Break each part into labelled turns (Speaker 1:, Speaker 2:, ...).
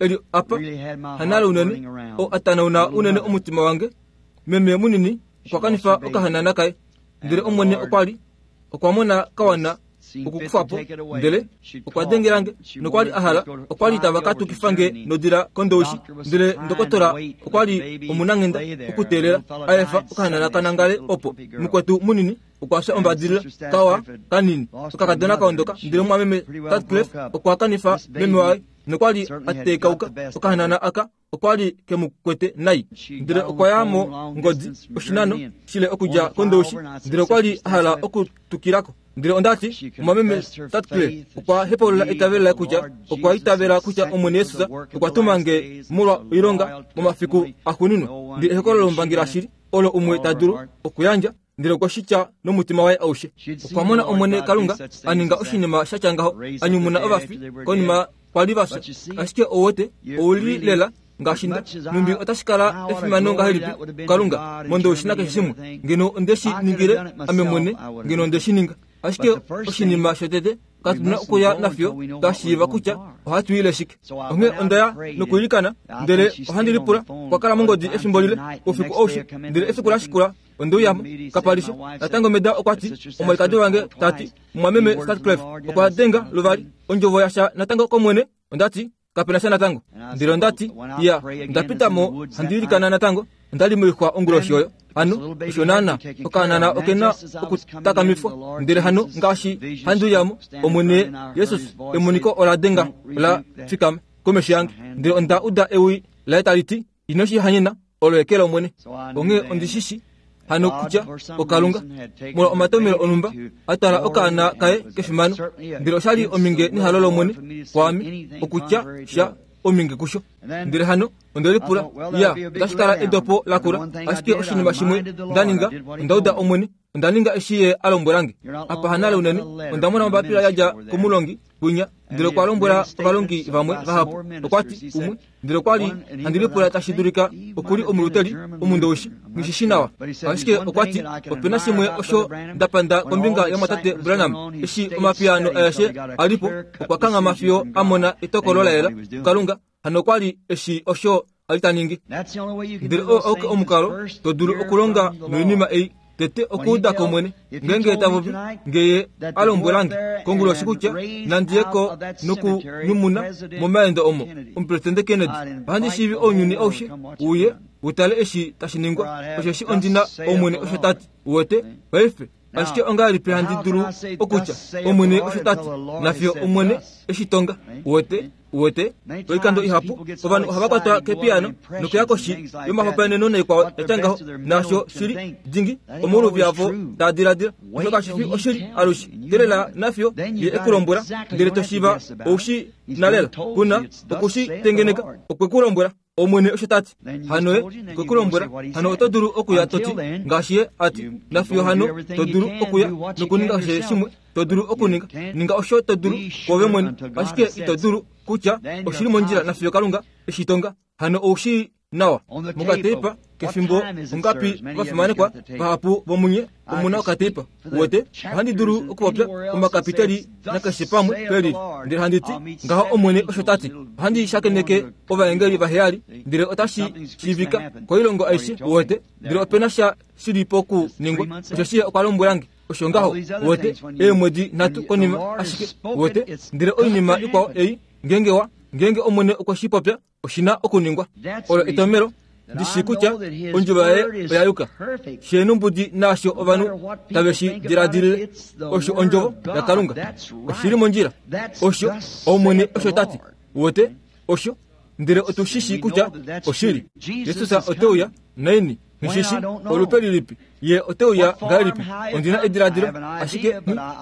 Speaker 1: e li apa, hanale unene, oo a tanauna unene omutima wange. Meme munini okwa kanifa okahanana kaye, ndele Omwene okwa li okwa mona ka wana. okukufa po. Ndele okwa dengela nge nokwa li a hala, okwa li tava ka tukifa nge nodila kOndowishi. Ndele ndokotola okwa li omunanghenda okuteelela a efa okahanana ka nangale opo. Mukwetu munini okwa fya ombadilila, kawa kanini, okakadona kaondoka. Ndele mumwameme Sutcliffe okwa kanifa meme waye nokwa li a tekauka. Okahanana aka okwa li ke mu kwete nai. Ndele okwa ya mo ngodi oshinano shile okudja kOndowishi, ndele okwa li a hala okutukila ko. Ndele onda ti, Mumwameme Sutcliffe okwa hepaulula eitavelo laye kutya okwa itavela kutya Omwene Jesus okwa tuma nge molwa oilonga momafiku axuuninwa. Ndele ehokololo lombangi lashili olo umwe ta dulu okuyandja, ndele okwe shi tya nomutima waye aushe. Okwa mona Omwene Kalunga a ninga oshinima sha tya ngaho, a nyumuna ovafi konima kwa li va fya. Ashike ou wete, ou li lela ngaashi nda. Nhumbi otashi kala efimano ngahelipi kuKalunga mondowishi nakeshe shimwe. Ngeno onde shi ningile ame mwene, ngeno onde shi ninga. Ashike oshinima shotete, katu na okuya nafiyo twa shiiva kutya ohatu ile shike. Onghee onda ya nokwiilikana, ndele ohandi lipula, okwa kala mongodi efimbo lile, oufiku aushe, ndele efiku la shikula onde uya mo, kapa li sha. Natango Meda okwa ti, omwalikadi wange ta ti, Mumwameme Sutcliffe okwa denga luvali ondjovo yasha natango kOmwene. Onda ti, Kape na sha natango. Ndele onda ti, Iya, onda pita mo handi ilikana natango. Onda li moixwa onguloshi oyo. Hano, osho naana, okahanana oke na okutakamifwa. Ndele hano ngaashi handi uya mo, Omwene Jesus, emoniko ola denga, ola fikama komesho yange. Ndele onda uda ewi laye tali ti, Ino shi hanyena, olo eke lOmwene. Onghee ondi shi shi hano kutya oKalunga, molwa omatomelo onhumba, a twala okaana kaye kefimano. Ndele osha li ominge nehalo lOmwene kwaame okutya sha ominge kusho. Ndele hano onde lipula, Ya, otashi kala edopo lakula. Ashike oshinima shimwe nda ninga, onda uda Omwene. Onda ninga eshi Ye a lombwela nge. Apa hanale unene, onda mona ombapila ya dja komulongi kwinya, ndele okwa lombwela ovalongi vamwe vahapu. Okwa ti, Umwe, ndele okwa li handi lipula tashi dulika oku li omuluteli omundowishi, nghi shi shi nawa. Ashike okwa ti, Ope na shimwe osho nda panda kombinga yomwatate Branham. Eshi omapiyaano aeshe a li po, okwa kanghama fiyo a mona etokolo la yela kuKalunga. Hano okwa li e shii osho a li ta ningi. Ndele oo auke omukalo to dulu okulonga noinima ei, tete okuuda ko Omwene. Ngeenge ta popi, nge Ye a lombwela nge konguloshi kutya nandi ye ko nokunyumuna momaendo omo Omupresidente Kennedy, ohandi shiivi ounyuni aushe uye u tale eshi tashi ningwa, osheshi ondi na Omwene osho ta ti. Uwete? Paife, Ashike ongahelipi handi dulu okutya, Omwene osho ta ti, nafiyo Omwene e shi tonga? Uwete? Uwete? Oikando ihapu ovanhu ohava kwatwa kepiyaano nokuya koshi yomahopaeneno naikwao ya tya ngaho, naasho shi li dingi omouluvi avo taa diladila. Osho kashi fi oshili alushe. Teelela nafiyo ye e ku lombwela, ndele to shiiva ou shi na lela. Ku na oku shi tengeneka. Okwe ku lombwela. Omwene osho ta ti. Hano ye okwe ku lombwela, hano oto dulu okuya to ti, ngaashi ye a ti, nafiyo hano to dulu okuya nokuninga keshe shimwe to dulu okuninga. Ninga osho to dulu kwoove mwene, ashike ito dulu kutya oshi li mondjila nafiyo Kalunga e shi tonga. Hano ou shii nawa. Mokateipa kefimbo ongapi ovafimanekwa vahapu vomunye omu na okateipa? Uwete, ohandi dulu okupopya omakapitali nakeshe pamwe pe lili, ndele handi ti, Ngaho Omwene osho ta ti. Ohandi shakeneke ovaengeli vaheyali, ndele otashi shiivika koilongo aishe, uwete, ndele ope na sha shi li pokuningwa, osheshi Ye okwa lombwela nge. Osho ngaho, uwete, eemwedi nhatu konima ashike, uwete. Ndele oinima ikwao ei, ngeenge wa, ngeenge Omwene okwe shi popya, oshi na okuningwa. Olo etomhelo ndi shii kutya ondjovo yaye oya yuka. Sheenumbudi naasho ovanhu tave shi diladilile, osho ondjovo yaKalunga. Oshi li mondjila. Osho Omwene osho ta ti. Uwete? Osho. Ndele otu shi shii kutya oshili. Jesus ote uya naini? Nghi shi olupe lilipi ye ote uya ngahelipi. Ondi na ediladilo, ashike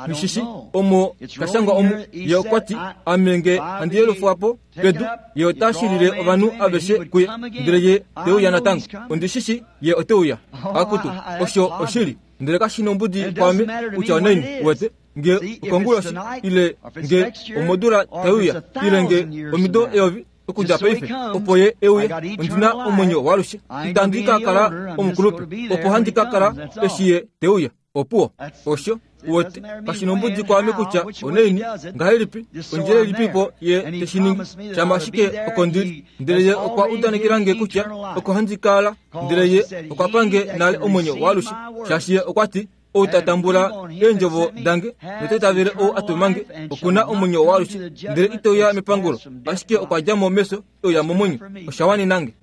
Speaker 1: nghi shi shi omo ta shangwa omu. Ye okwa ti, Ame nge handi yelufwa po pedu, ye ota shilile ovanhu aveshe kuye. Ndele ye te uya natango. Ondi shi shi ye ote uya. Akutu, osho oshili. Ndele kashi nombudi kwaame kutya onaini, uwete, nge okonguloshi, ile nge omodula tai uya, ile nge omido eyovi. Okudja paife, opo Ye e uye, ondi na omwenyo waalushe. Itandi ka kala omukulupe, opo handi ka kala eshi Ye te uya. Opuwo. Osho, uwete, kashi nombudi kwaame kutya onaini, ngahelipi, ondjila ilipipo Ye te shi ningi, shama ashike oko ndi li. Ndele Ye okwa udanekela nge kutya oko handi kala, ndele Ye okwa pa nge nale omwenyo waalushe, shaashi Ye okwa ti, Ou ta tambula eendjovo dange nota itavele ou a tuma nge, oku na omwenyo waalushe, ndele ite uya mepangulo, ashike okwa dja mo mefyo e uya momwenyo. Osha wanena nge.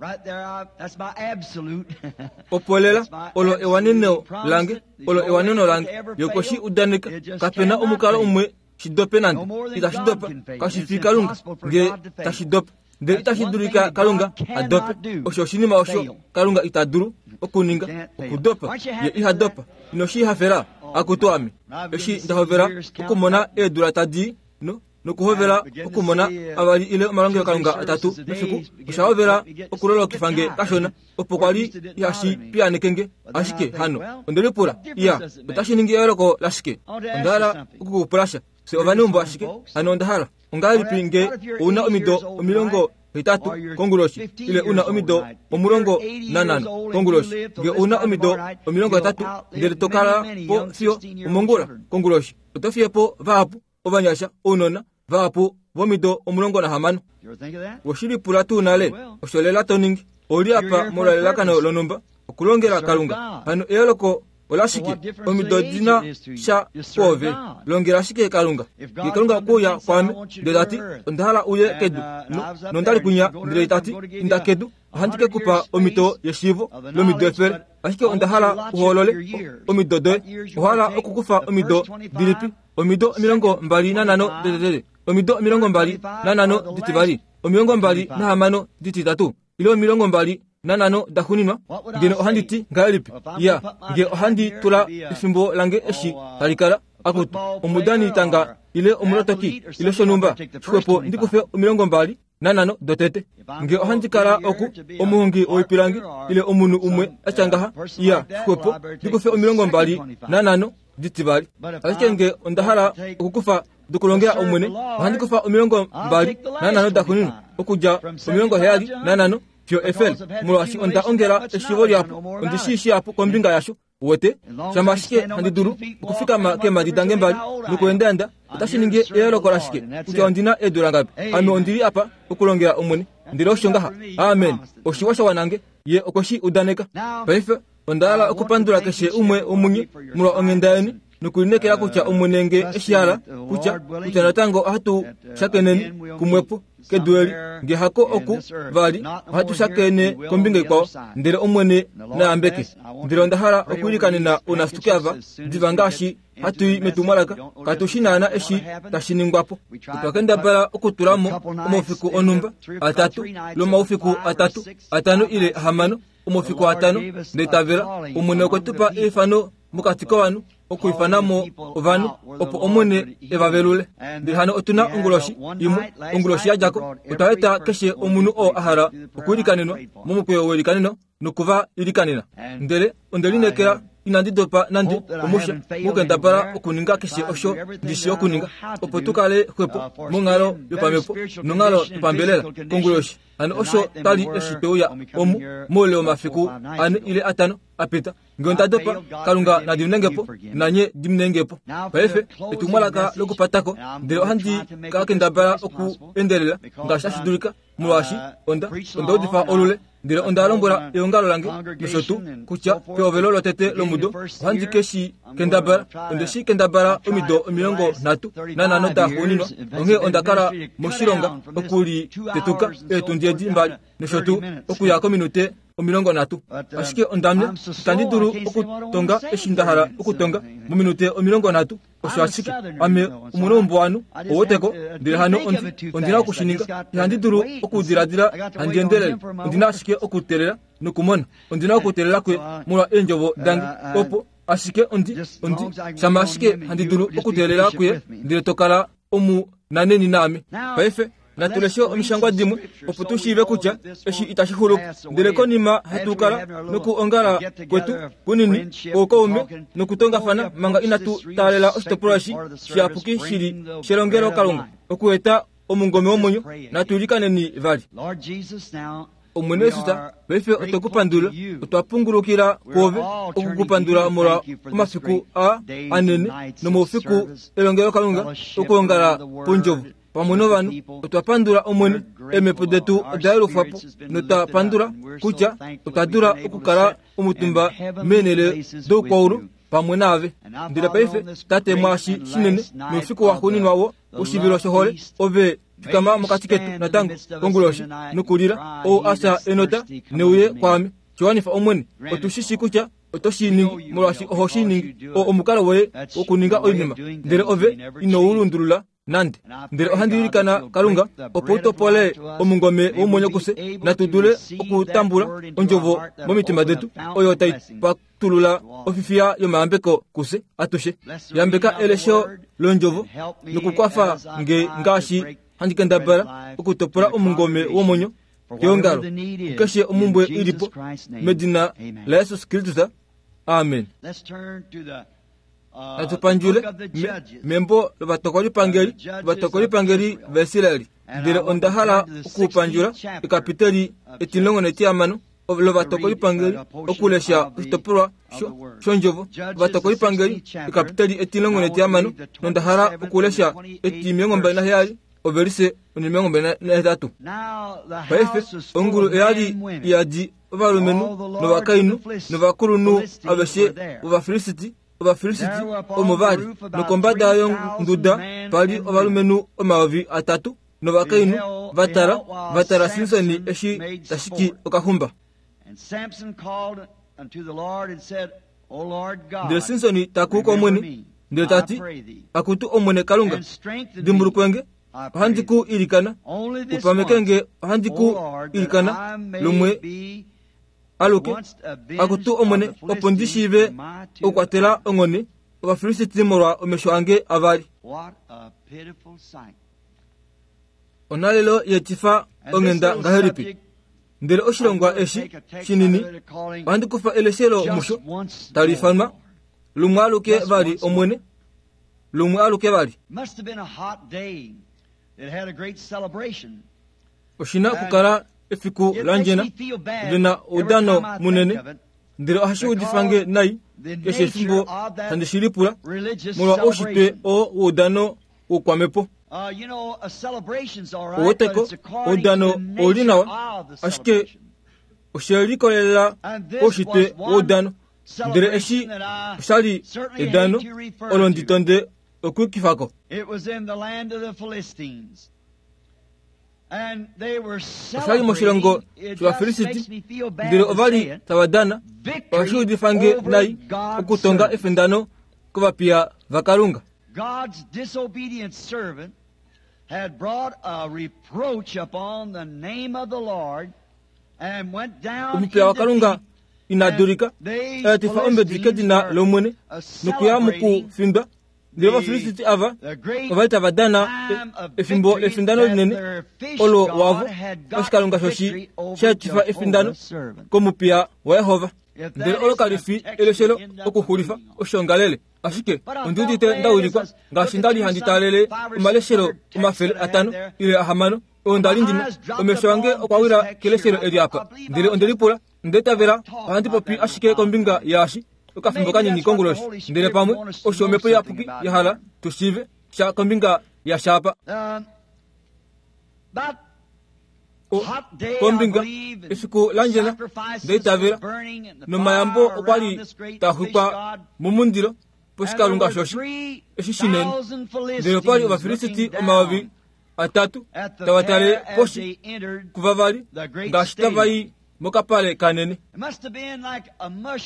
Speaker 1: Opo lela, olo ewaneno lange, olo ewaneno lange. Ye okwe shi udaneka. Kape na omukalo umwe shi dope nande. Itashi dopa. Kashi fi Kalunga nge tashi dopa. Ndele itashi dulika Kalunga a dope. Osho oshinima osho Kalunga ita dulu okuninga, okudopa. Ye iha dopa. Ino shi hafela? Akutu ame! Eshi nda hovela okumona eedula tadi no, nokuhovela okumona avali ile omalongelokalunga atatu mefiku, osha hovela okulolokifa nge kashona. Opo kwa li ihashi piyaaneke nge. Ashike hano, onde lipula, Iya, otashi ningi eyooloko lashike? Onda hala oku ku pula sha. Fye ovaneumbo ashike. Hano onda hala. Ongahelipi nge ou na omido 80 konguloshi, ile u na omido 15 konguloshi? Nge ou na omido 80 ndele to kala po fiyo omongula konguloshi, oto fiye po vahapu ovanyasha, ounona vahapu vomido 16. We lipula tuu nale osho lela to ningi? Ou li apa molwelelakano lonhumba, okulongela Kalunga. Hano eyooloko olashike? Omido di na sha kwoove. Longela ashike Kalunga. Nge Kalunga okwe uya kwaame, ndele ta ti, Onda hala uye kedu, no, nonda li kwinya, ndele ta ti, Inda kedu, ohandi ke ku pa omhito yeshiivo lomido 100, ashike onda hala u hoolole omido doye. Owa hala okukufa omido dilipi? Omido 25 dotete, omido 25 ditivali, 26 dititatu, ile 25 daxuuninwa? Ngeno ohandi ti ngahelipi? Ya, nge ohandi tula efimbo lange eshi tali kala, akutu, omudani tanga ile omulotoki ile shonhumba, xwepo ndi kufe 25 dotete. Nge ohandi kala oku, omuhongi woipilangi ile omunhu umwe a tya ngaha, ya, xwepo ndi kufe 25 ditivali. Ashike nge onda hala okukufa dokulongela Omwene, ohandi kufa 25 daxuuninwa, okudja 75 fiyo 100, molwaashi onda ongela eshiivo lihapu, ondi shii shihapu kombinga yasho. Uwete? Shama ashike handi dulu okufikama keemhadi dange mbali nokuendaenda, otashi ningi eyooloko lashike kutya ondi na eedula ngapi? Ame ondi li apa okulongela Omwene. Ndele osho ngaha. Amen. Oshiwa sha wana nge. Ye okwe shi udaneka. Paife onda hala okupandula keshe umwe womunye molwa onghenda yeni nokulineekela kutya Omwene nge e shi hala, kutya, kutya natango ohatu shakeneni kumwepo kedu eli, nge hako oku vali, ohatu shakene kombinga ikwao. Ndele Omwene na yambeke. Ndele onda hala okwiilikanena ounasituke ava diva ngaashi hatu i metumwalaka. Katu shi naana eshi tashi ningwa po. Otwa kendabala okutula mo omaufiku onhumba atatu, lomaufiku atatu, atano ile ahamano, omafiku atano, ndeitavela Omwene okwe tu pa eifano mokati kovanhu, okwiifana mo ovanhu, opo Omwene e va velule. Ndele hano otu na onguloshi imwe, onguloshi ya dja ko, otwa eta keshe omunhu oo a hala okwiilikanenwa momukweyo weilikaneno noku va ilikanena. Ndele onde lineekela inandi dopa nande omusha mokukendabala okuninga keshe osho ndi shii okuninga, opo tu kale xwepo monghalo yopamhepo nonghalo yopambelela konguloshi. Hano osho twa li eshi twe uya omu moule womafiku ane ile atano a pita. Nge onda dopa, Kalunga na diminenge po, nanye diminenge po. Paife, etumwalaka lokupatako, ndele ohandi ka kendabala oku endelela ngaashi tashi dulika, molwaashi onda, onda udifa olule. Ndele onda lombwela eongalo lange nosho tuu kutya pehovelo lotete lomudo ohandi ke shi kendabala. Onde shi kendabala omido 35 daxuuninwa, onghee onda kala moshilonga okulitetuka eetundi edi mbali nosho tuu okuya kominute 30. Ashike ondamya, itandi dulu okutonga eshi nda hala okutonga mominute 30. Osho ashike ame omuneumbo ouweteko, ndele hano ondi, ondi na oku shi ninga. Ihandi dulu okudiladila handi endelele. Ondi na ashike okuteelela nokumona. Ondi na okuteelela kuye molwa eendjovo dange, opo ashike ondi, ondi, shama ashike handi dulu okuteelela kuye, ndele to kala omunaneni naame. Paife natu leshe omishangwa dimwe opo tu shiive kutya eshi itashi xulu po. Ndele konima hatu kala nokuongala kwetu kunini kwoukaume nokutongafana manga inatu taalela oshitopolwa eshi shiyapuki shili shelongelokalunga okueta omungome womwenyo, natu ilikaneni vali. Omwene Jesus, paife otwe ku pandula, otwa pungulukila kwoove oku ku pandula molwa omafiku aa anene nomaufiku elongelokalunga okuongala pondjovo pamwe novanhu. Otwa pandula Omwene, eemhepo detu oda yelufwa po, notwa pandula kutya otwa dula okukala omutumba meenhele doukwaulu. pamwe naave. Ndele paife, Tate, mwaashi shinene noufiku waxuuninwa wo woshivilo shohole, Ove fikama mokati ketu natango konguloshi nokulila, ou a fya enota, ne uye kwaame. Shiwanifa, Omwene. Otu shi shii kutya oto shi ningi, molwaashi oho shi ningi. Oo omukalo woye wokuninga oinima, ndele Ove ino u lundulula nande. Ndele ohandi ilikana, Kalunga, opo u topole omungome womwenyo kufye, natu dule okutambula Ondjovo momitima detu, oyo tai patulula ofifiya yomayambeko kufye atushe. Yambeka elesho lOndjovo nokukwafa nge ngaashi handi kendabala okutopola omungome womwenyo keongalo, kukeshe omumbwe i li po, medina laJesus Kristus. Amen. Natu pandjule membo lovatokolipangeli, ovatokolipangeli vaIsraeli. Ndele onda hala okupandjula ekapiteli etimulongo netihamano lovatokolipangeli, okulesha oshitopolwa shondjovo. Ovatokolipangeli ekapiteli 17, nonda hala okulesha 27 ovelise 28. Paife ongulu oya li iyadi ovalumenhu novakainhu novakulunhu aveshe vOvafilisti, Ovafilisiti omo va li, nokombada yonduda pa li ovalumenhu 3000 novakainhu va tala, va tala Simson eshi ta shiki okaxumba. Ndele Simson ta kuu kOmwene, ndele ta ti, Akutu Omwene Kalunga, dimbulukwe nge, ohandi ku ilikana, u pameke nge, ohandi ku ilikana lumwe aluke, Akutu Omwene, opo ndi shiive okukwatela onghone Ovafilisti molwa omesho ange avali. Onhalelo yetifa onghenda ngahelipi? Ndele oshilongwa eshi shinini ohandi kufa eleshelo musho tali ifanwa Lumwe aluke vali Omwene, lumwe aluke vali. Oshi na okukala efiku landjena ve na oudano munene, ndele ohashi udifa nge nai keshe efimbo handi shi lipula molwa oushitwe oo woudano woukwamhepo. Ouweteko, oudano ou li nawa, ashike oshe likolelela koushitwe woudano. Ndele eshi osha li edano olo ndi tonde okuyukifa ko. Osha li moshilongo shOvafilisti, ndele ova li tava dana. Ohashi udifa nge nai okutonga efindano kovapiya vaKalunga.
Speaker 2: God's disobedient servant had brought a reproach upon the name of the Lord and went down
Speaker 1: Omupiya waKalunga ina dulika, a etifa ombedi kedina lOmwene nokuya mokufindwa. Ndele Ovafilisiti ava ova li tava dana efimbo lefindano linene olo wavo oshikalunga shoshi sha etifa efindano komupiya waJehova. Ndele olo kali fi eleshelo okuxulifa oshoongalele. Ashike ondi udite nda wilikwa ngaashi nda li handi taalele omaleshelo 500 ile 600 oo nda li ndi na. Omesho ange okwa wila keleshelo eli apa, ndele onde lipula, Onda itavela ohandi popi ashike kombinga yaashi okafimbo kanini konguloshi, ndele pamwe osho Omhepo Iyapuki ya hala tu shiive sha kombinga yasha apa. Kombinga efiku landjena nda itavela nomayambo okwa li taa xwikwa momundilo poshikalunga shoshi eshi shinene, ndele opa li Ovafilisiti 3000 tava tale poshi kuvavali ngaashi tava i mokapale kanene.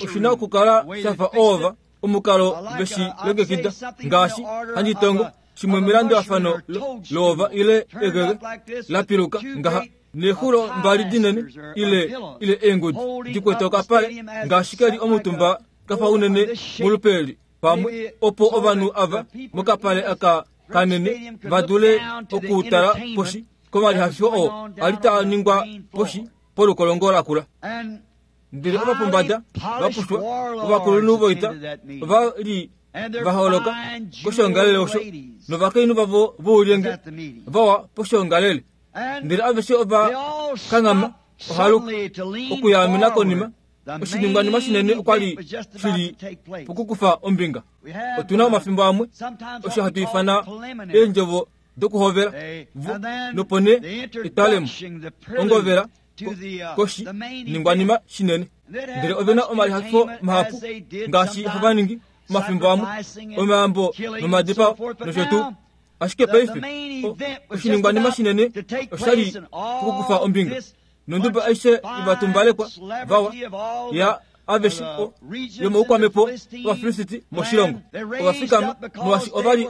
Speaker 1: Oshi na okukala sha fa oova omukalo ve shi longekida ngaashi handi tongo shimwe melandulafano loova ile egege la piluka ngaha neexulo mbali dinene ile ile eengudi di kwete okapale ngaashi ke li omutumba ka fa unene molupe pamwe opo ovanhu ava mokapale aka kanene va dule okutala poshi komalihafifo oo a li taa ningwa poshi polukolongo lakula. Ndele ovapombada va pushwa, ovakulunhu voita ova li va holoka koshoongalele osho, novakainhu vavo voulyenge vawa poshoongalele. Ndele aveshe ova kanghama ohaluka okuyaamena konima. Oshiningwanima shinene okwa li shi li pokukufa ombinga. Otu na omafimbo amwe osho hatu ifana eendjovo dokuhovela, nopo nee etwalemo, ongovela, koshi ningwanima shinene. Ndele ove na omalihafifo mahapu ngaashi hava ningi. omafimbo amwe omayambo nomadipao nosho tuu. Ashike paife oshiningwanima shinene oshali pokukufa ombinga nonduba aishe ivatumbalekwa vawa ya aveshe yomoukwamepo Ovafilisiti moshilongo ovafikama molwaashi ovali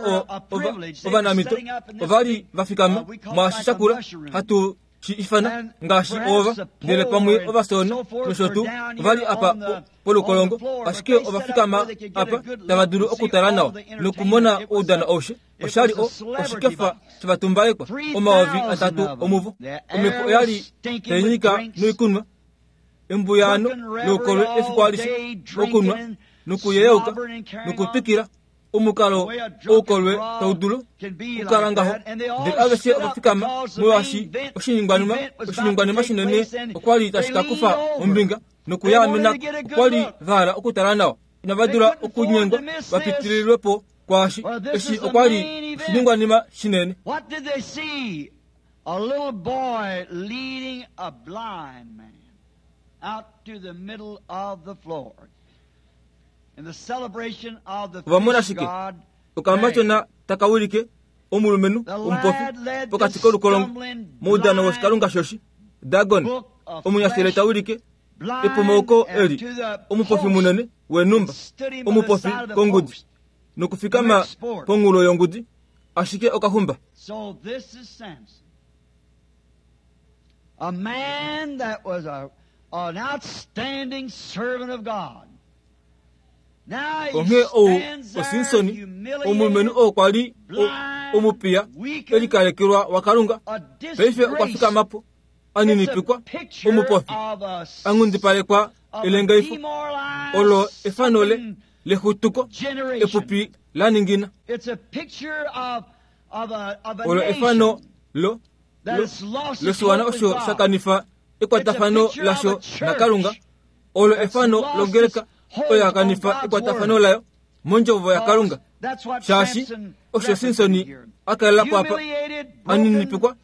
Speaker 1: ovanamito ovali vafikama mwaashi shakula hatu shi ifana ngaashi ova ndele pamwe ovasona nosho tuu ovali apa polukolongo, ashike ovafikama apa tava dulu okutala nawa nokumona oudano aushe. Oshali oshikefa shovatumbalekwa 3000 omuvo. Omhepo oyali tainyika noikunwa embuyaano loukolwe efiku alishe, okunwa nokuyeyauka nokutwikila omukalo oukolwe taudulu okukala ngaho. Ndele aveshe ovafikama molwaashi oshiningwanima shinene okwali tashi ka kufa ombinga nokuyaamena. Okwali vahala okutala nawa, inava dula okunyengwa vapitililwepo kwaashi eshi okwali oshiningwanima shinene.
Speaker 2: What did they see? A little boy leading a blind man out to the middle of the floor. In the celebration of the
Speaker 1: Ovamona
Speaker 2: fish
Speaker 1: shike?
Speaker 2: god,
Speaker 1: Okamatyona taka wilike omulumenhu omupofi pokati kolukolongo moudano woshikalunga shoshi Dagon. Omunyashele ta wilike epomauko eli omupofi munene wenumba, omupofi kongudi nokufikama ponghulo yongudi, ashike okahumba.
Speaker 2: So this is Samson, a man that was an outstanding servant of God. Now he
Speaker 1: Onghee ou
Speaker 2: stands there
Speaker 1: oSimsoni,
Speaker 2: humiliated,
Speaker 1: omulumenhu oo kwali omupiya elikalekelwa waKalunga,
Speaker 2: a
Speaker 1: paife okwa
Speaker 2: disgrace.
Speaker 1: fikamapo aninipikwa,
Speaker 2: It's a picture
Speaker 1: omupofi
Speaker 2: of a
Speaker 1: angundipalekwa
Speaker 2: of a
Speaker 1: elengaifo
Speaker 2: demoralized,
Speaker 1: olo efano le
Speaker 2: sunken
Speaker 1: lexutuko
Speaker 2: generation.
Speaker 1: epupi la ningina.
Speaker 2: It's a picture of a
Speaker 1: Olo efano
Speaker 2: nation
Speaker 1: lo
Speaker 2: that has lost its
Speaker 1: loshiwana
Speaker 2: hope in
Speaker 1: osho
Speaker 2: God.
Speaker 1: shakanifa ekwatafano
Speaker 2: It's a picture
Speaker 1: lasho
Speaker 2: of a church
Speaker 1: naKalunga. Olo efano
Speaker 2: lost
Speaker 1: longeleka
Speaker 2: its hold
Speaker 1: oyo
Speaker 2: on
Speaker 1: yakanifa
Speaker 2: God's
Speaker 1: ekwatafano
Speaker 2: word.
Speaker 1: layo mondjovo yaKalunga.
Speaker 2: That's what
Speaker 1: Shaashi
Speaker 2: Samson
Speaker 1: osho
Speaker 2: represented
Speaker 1: Simsoni
Speaker 2: here.
Speaker 1: a kalela po apa
Speaker 2: Humiliated, broken,
Speaker 1: aninipikwa,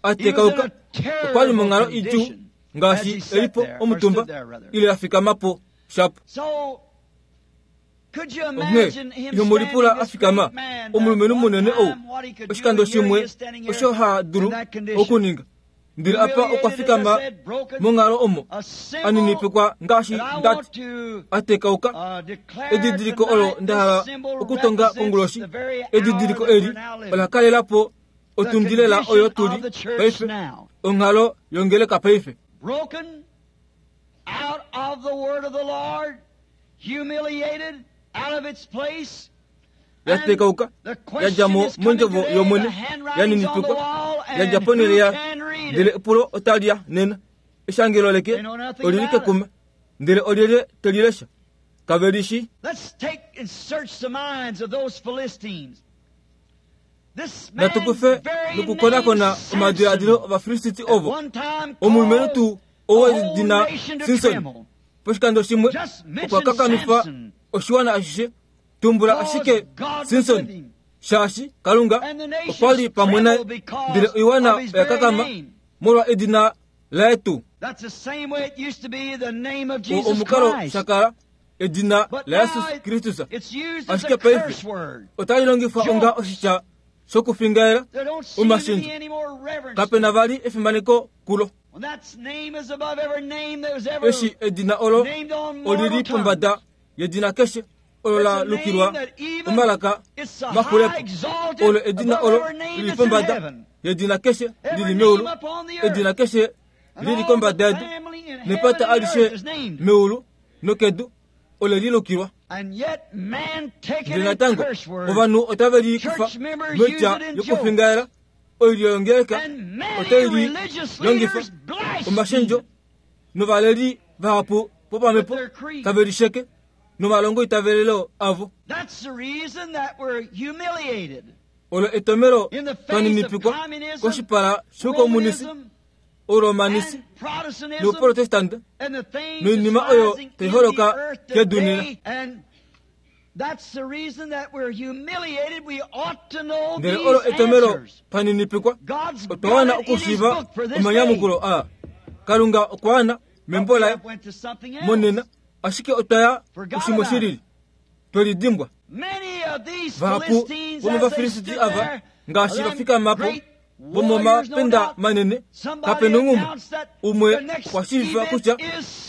Speaker 1: atekauka,
Speaker 2: He was in a terrible
Speaker 1: okwali monghalo idjuu
Speaker 2: condition
Speaker 1: ngaashi
Speaker 2: as he sat
Speaker 1: elipo
Speaker 2: there, or
Speaker 1: omutumba
Speaker 2: stood there, rather.
Speaker 1: ile afikamapo shapo.
Speaker 2: So, could you
Speaker 1: Onghee
Speaker 2: imagine him
Speaker 1: ihomulipula
Speaker 2: standing, this
Speaker 1: afikama
Speaker 2: great man,
Speaker 1: omulumenhu
Speaker 2: that
Speaker 1: munene
Speaker 2: one
Speaker 1: ou
Speaker 2: time what he could do,
Speaker 1: oshikando
Speaker 2: and here he
Speaker 1: shimwe
Speaker 2: is standing here
Speaker 1: osho ha dulu
Speaker 2: in that condition.
Speaker 1: okuninga, ndele apa okwa
Speaker 2: Humiliated, as I
Speaker 1: fikama
Speaker 2: said, broken,
Speaker 1: monghalo omo
Speaker 2: a symbol
Speaker 1: aninipikwa ngaashi
Speaker 2: that I
Speaker 1: ndati
Speaker 2: want to
Speaker 1: atekauka.
Speaker 2: declare
Speaker 1: Edidiliko olo
Speaker 2: tonight,
Speaker 1: nda hala
Speaker 2: this symbol
Speaker 1: okutonga
Speaker 2: represents
Speaker 1: konguloshi,
Speaker 2: the very hour
Speaker 1: edidiliko
Speaker 2: that
Speaker 1: eli
Speaker 2: we're now living.
Speaker 1: ola kalelapo
Speaker 2: The
Speaker 1: otundilela oyo
Speaker 2: condition
Speaker 1: tuli
Speaker 2: of the church
Speaker 1: paife,
Speaker 2: now.
Speaker 1: onghalo yongeleka paife.
Speaker 2: Broken out of the word of the Lord, humiliated out of its place. And
Speaker 1: Yatekauka,
Speaker 2: the question
Speaker 1: yadja mo
Speaker 2: is coming
Speaker 1: mondjovo
Speaker 2: today,
Speaker 1: yOmwene,
Speaker 2: the handwriting's on the
Speaker 1: yaninipikwa,
Speaker 2: wall, and
Speaker 1: yadja
Speaker 2: who
Speaker 1: ponhele ya
Speaker 2: can read
Speaker 1: ndele
Speaker 2: it?
Speaker 1: epulo otali ya nena eshangelo leke
Speaker 2: They know nothing
Speaker 1: olili
Speaker 2: about it.
Speaker 1: kekuma ndele olyelye telilesha kavelishi.
Speaker 2: Let's take and search the minds of those Philistines. This man's
Speaker 1: Natukufe
Speaker 2: very
Speaker 1: nokukonakona
Speaker 2: name,
Speaker 1: omadiladilo
Speaker 2: Samson,
Speaker 1: Ovafilisiti
Speaker 2: at
Speaker 1: ovo
Speaker 2: one time
Speaker 1: omulumenhu
Speaker 2: caused
Speaker 1: tuu
Speaker 2: the
Speaker 1: ou
Speaker 2: whole
Speaker 1: wedina
Speaker 2: nation to
Speaker 1: Simson
Speaker 2: tremble.
Speaker 1: poshikando shimwe
Speaker 2: Just mention
Speaker 1: okwa kakanifa
Speaker 2: Samson.
Speaker 1: oshiwana ashishe. Tumbula
Speaker 2: Because
Speaker 1: ashike
Speaker 2: God was
Speaker 1: Simson,
Speaker 2: with him.
Speaker 1: shaashi Kalunga
Speaker 2: And the nations
Speaker 1: okwa li pamwe naye,
Speaker 2: trembled because
Speaker 1: ndele oiwana
Speaker 2: of his
Speaker 1: oya
Speaker 2: very
Speaker 1: kakama
Speaker 2: name.
Speaker 1: molwa edina laye tuu.
Speaker 2: That's the same way it used to be the name of
Speaker 1: O
Speaker 2: Jesus
Speaker 1: omukalo
Speaker 2: Christ.
Speaker 1: shakala edina
Speaker 2: But
Speaker 1: la
Speaker 2: now
Speaker 1: Jesus Kristus
Speaker 2: it's used as
Speaker 1: ashike
Speaker 2: a
Speaker 1: paife
Speaker 2: curse word.
Speaker 1: otali longifwa onga oshitya shokufingaela
Speaker 2: There don't seem to
Speaker 1: omashendjo.
Speaker 2: be any more reverence.
Speaker 1: Kapena vali efimaneko kulo.
Speaker 2: When that name is above every name that was ever
Speaker 1: Eshi edina olo
Speaker 2: named on mortal
Speaker 1: olili
Speaker 2: tongue.
Speaker 1: pombada yedina keshe olo la
Speaker 2: It's a name
Speaker 1: lukilwa
Speaker 2: that even
Speaker 1: omalaka
Speaker 2: it's the high
Speaker 1: mahulepo.
Speaker 2: exalted
Speaker 1: Olo edina
Speaker 2: above
Speaker 1: olo
Speaker 2: every name
Speaker 1: lili
Speaker 2: that's in
Speaker 1: pombada
Speaker 2: heaven.
Speaker 1: yedina keshe
Speaker 2: Every
Speaker 1: lili
Speaker 2: name
Speaker 1: meulu,
Speaker 2: upon the earth.
Speaker 1: edina keshe
Speaker 2: And
Speaker 1: lili
Speaker 2: all
Speaker 1: kombada
Speaker 2: the
Speaker 1: yedu
Speaker 2: family in heaven
Speaker 1: nepata
Speaker 2: and earth
Speaker 1: alishe
Speaker 2: is named.
Speaker 1: meulu nokedu ole li lukilwa.
Speaker 2: And yet man taking
Speaker 1: Ndele
Speaker 2: a
Speaker 1: natango
Speaker 2: curse word
Speaker 1: ovanhu otave li kufa
Speaker 2: Church members
Speaker 1: moitya
Speaker 2: use it in
Speaker 1: yokufingaela oilyo yongeleka
Speaker 2: and many
Speaker 1: otai li
Speaker 2: religious
Speaker 1: longifa
Speaker 2: leaders blaspheme
Speaker 1: omashendjo novaleli vahapu popamhepo
Speaker 2: with their creed.
Speaker 1: tave lisheke nomalongo itavelelo avo.
Speaker 2: That's the reason that we're humiliated
Speaker 1: Olo etomelo
Speaker 2: in the face of
Speaker 1: twaninipikwa
Speaker 2: communism,
Speaker 1: koshipala shoukomunisi,
Speaker 2: Romanism,
Speaker 1: oromanisi
Speaker 2: and Protestantism,
Speaker 1: nouprotestante
Speaker 2: and the things
Speaker 1: noinima
Speaker 2: that's
Speaker 1: oyo
Speaker 2: rising in
Speaker 1: tai
Speaker 2: the
Speaker 1: holoka
Speaker 2: earth
Speaker 1: kedu nena.
Speaker 2: today. And that's the reason that we're humiliated. We ought to know
Speaker 1: Ndele olo
Speaker 2: these
Speaker 1: etomelo
Speaker 2: answers.
Speaker 1: twaninipikwa
Speaker 2: God's
Speaker 1: otwa
Speaker 2: got
Speaker 1: wana
Speaker 2: it in His
Speaker 1: okushiiva
Speaker 2: book for this day.
Speaker 1: omanyamukulo aa. Kalunga okwa wana membo
Speaker 2: But we
Speaker 1: laye
Speaker 2: have went to something else.
Speaker 1: monena, ashike otwa ya
Speaker 2: Forgot
Speaker 1: kushimwe
Speaker 2: about
Speaker 1: shilili. Twelidimbwa. Vahapu vomovafilisiti ava ngaashi va fikama po vomomapenda manene, kape nonghumwe. Umwe okwa shiivifa kutya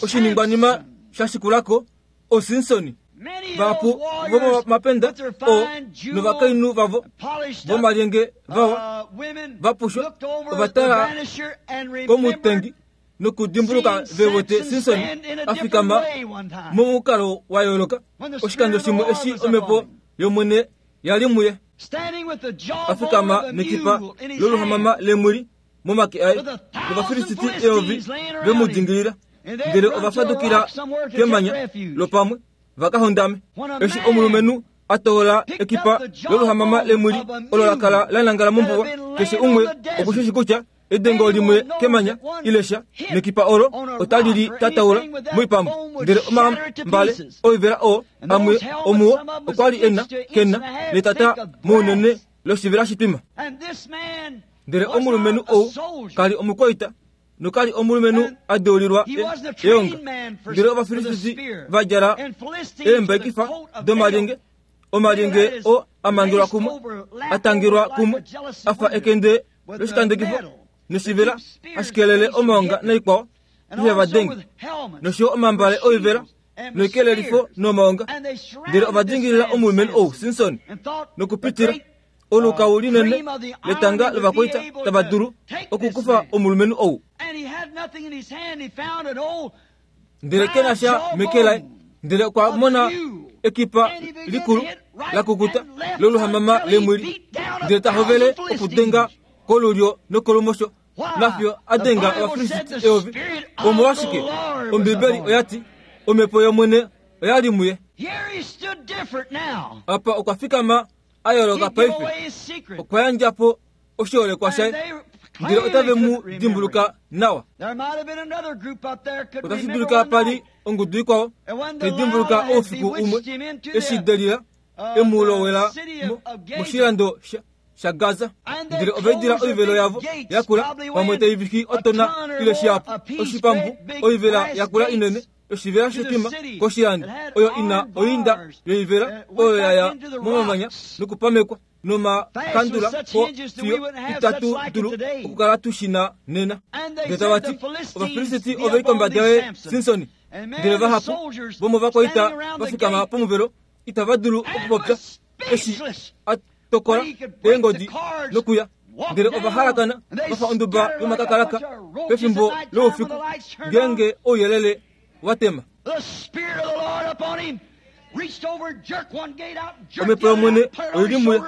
Speaker 1: oshiningwanima sha shikula ko oSimson. Vahapu vomomapenda oo novakainhu vavo vomalyenge vawa va pushwa ova tala komutengi nokudimbuluka ve wete Simson a fikama momukalo wa yooloka oshikando shimwe eshi omhepo yOmwene ya li muye, a fikama nekipa loluhamama lemwili momake aye, nOvafilisiti eyovi ve mu dingilila, ndele ova fadukila kemanya lopamwe va ka hondame. Eshi omulumenhu a toola ekipa loluhamama lemwili olo la kala la nangala mombuwa, keshe umwe oku shi shii kutya Edengo limwe kemanya ile sha nekipa olo otali li tataula moipambu, ndele omambale oivela oo amwe omuo okwa li e na kena netata mounene loshivela shitwima. Ndele omulumenhu ou ka li omukwaita noka li omulumenhu a deulilwa eonga. Ndele Ovafilisti va djala eembaikifa domalyenge, omalyenge oo a mangelwa kumwe, a tangelwa kumwe, a fa ekende loshikandekifo noshivela hashi kelele omaonga naikwao ihe va denge, nosho yo omambale oivela noikelelifo nomaonga. Ndele ova dingilila omulumenhu ou Simson nokupitila olukau linene letanga lovakwaita tava dulu okukufa omulumenhu ou. Ndele ke na sha meke laye, ndele okwa mona ekipa likulu la kukuta loluhamama lemwili, ndele ta hovele okudenga kolulyo nokolumosho nafiyo a denga Ovafilisti eyovi. Omolwashike? Ombibeli oya ti, Omhepo yOmwene oya li muye. Apa okwa fikama a yooloka paife. Okwa yandja po oshiholekwa shaye, ndele otave mu dimbuluka nawa. Otashi dulika pa li ongudu ikwao tai dimbuluka oufiku umwe eshi Delila e mu lowela moshilando shaGaza, ndele ova idila oivelo yavo yakula, pamwe tai viki otona ile shihapu, oshipambu, oivela yakula inene yoshivela shetima koshilando, oyo ina oinda yoivela oyo ya ya momamanya nokupamekwa nomakandula po fiyo itatu dulu okukala tu shi na nena. Ndele tava ti, Ovafilisiti ove li kombada yoye, Simson. Ndele vahapu vomovakwaita va fikama pomuvelo itava dulu okupopya eshi a tokola eengodi nokuya. Ndele ova halakana va fa onduba yomakakalaka pefimbo loufiku ngeenge ouyelele wa tema. Omhepo yOmwene oi li muye,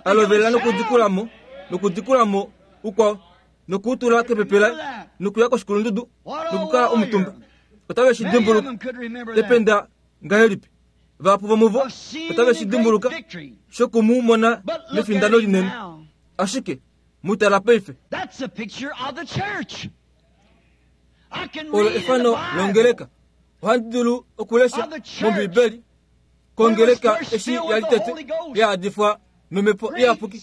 Speaker 1: a lovela nokudikula mo, nokudikula mo ukwao, noku u tula kepepe laye, nokuya koshikulundudu, nokukala omutumba. Otave shi dimbuluka. Ependa ngahelipi! Vahapu vomuvo otave shi dimbuluka shoku mu mona mefindano linene. Ashike mu tala paife. Olo efano longeleka. Ohandi dulu okulesha mOmbibeli kongeleka eshi ya li tete ya adifwa nomhepo iyapuki,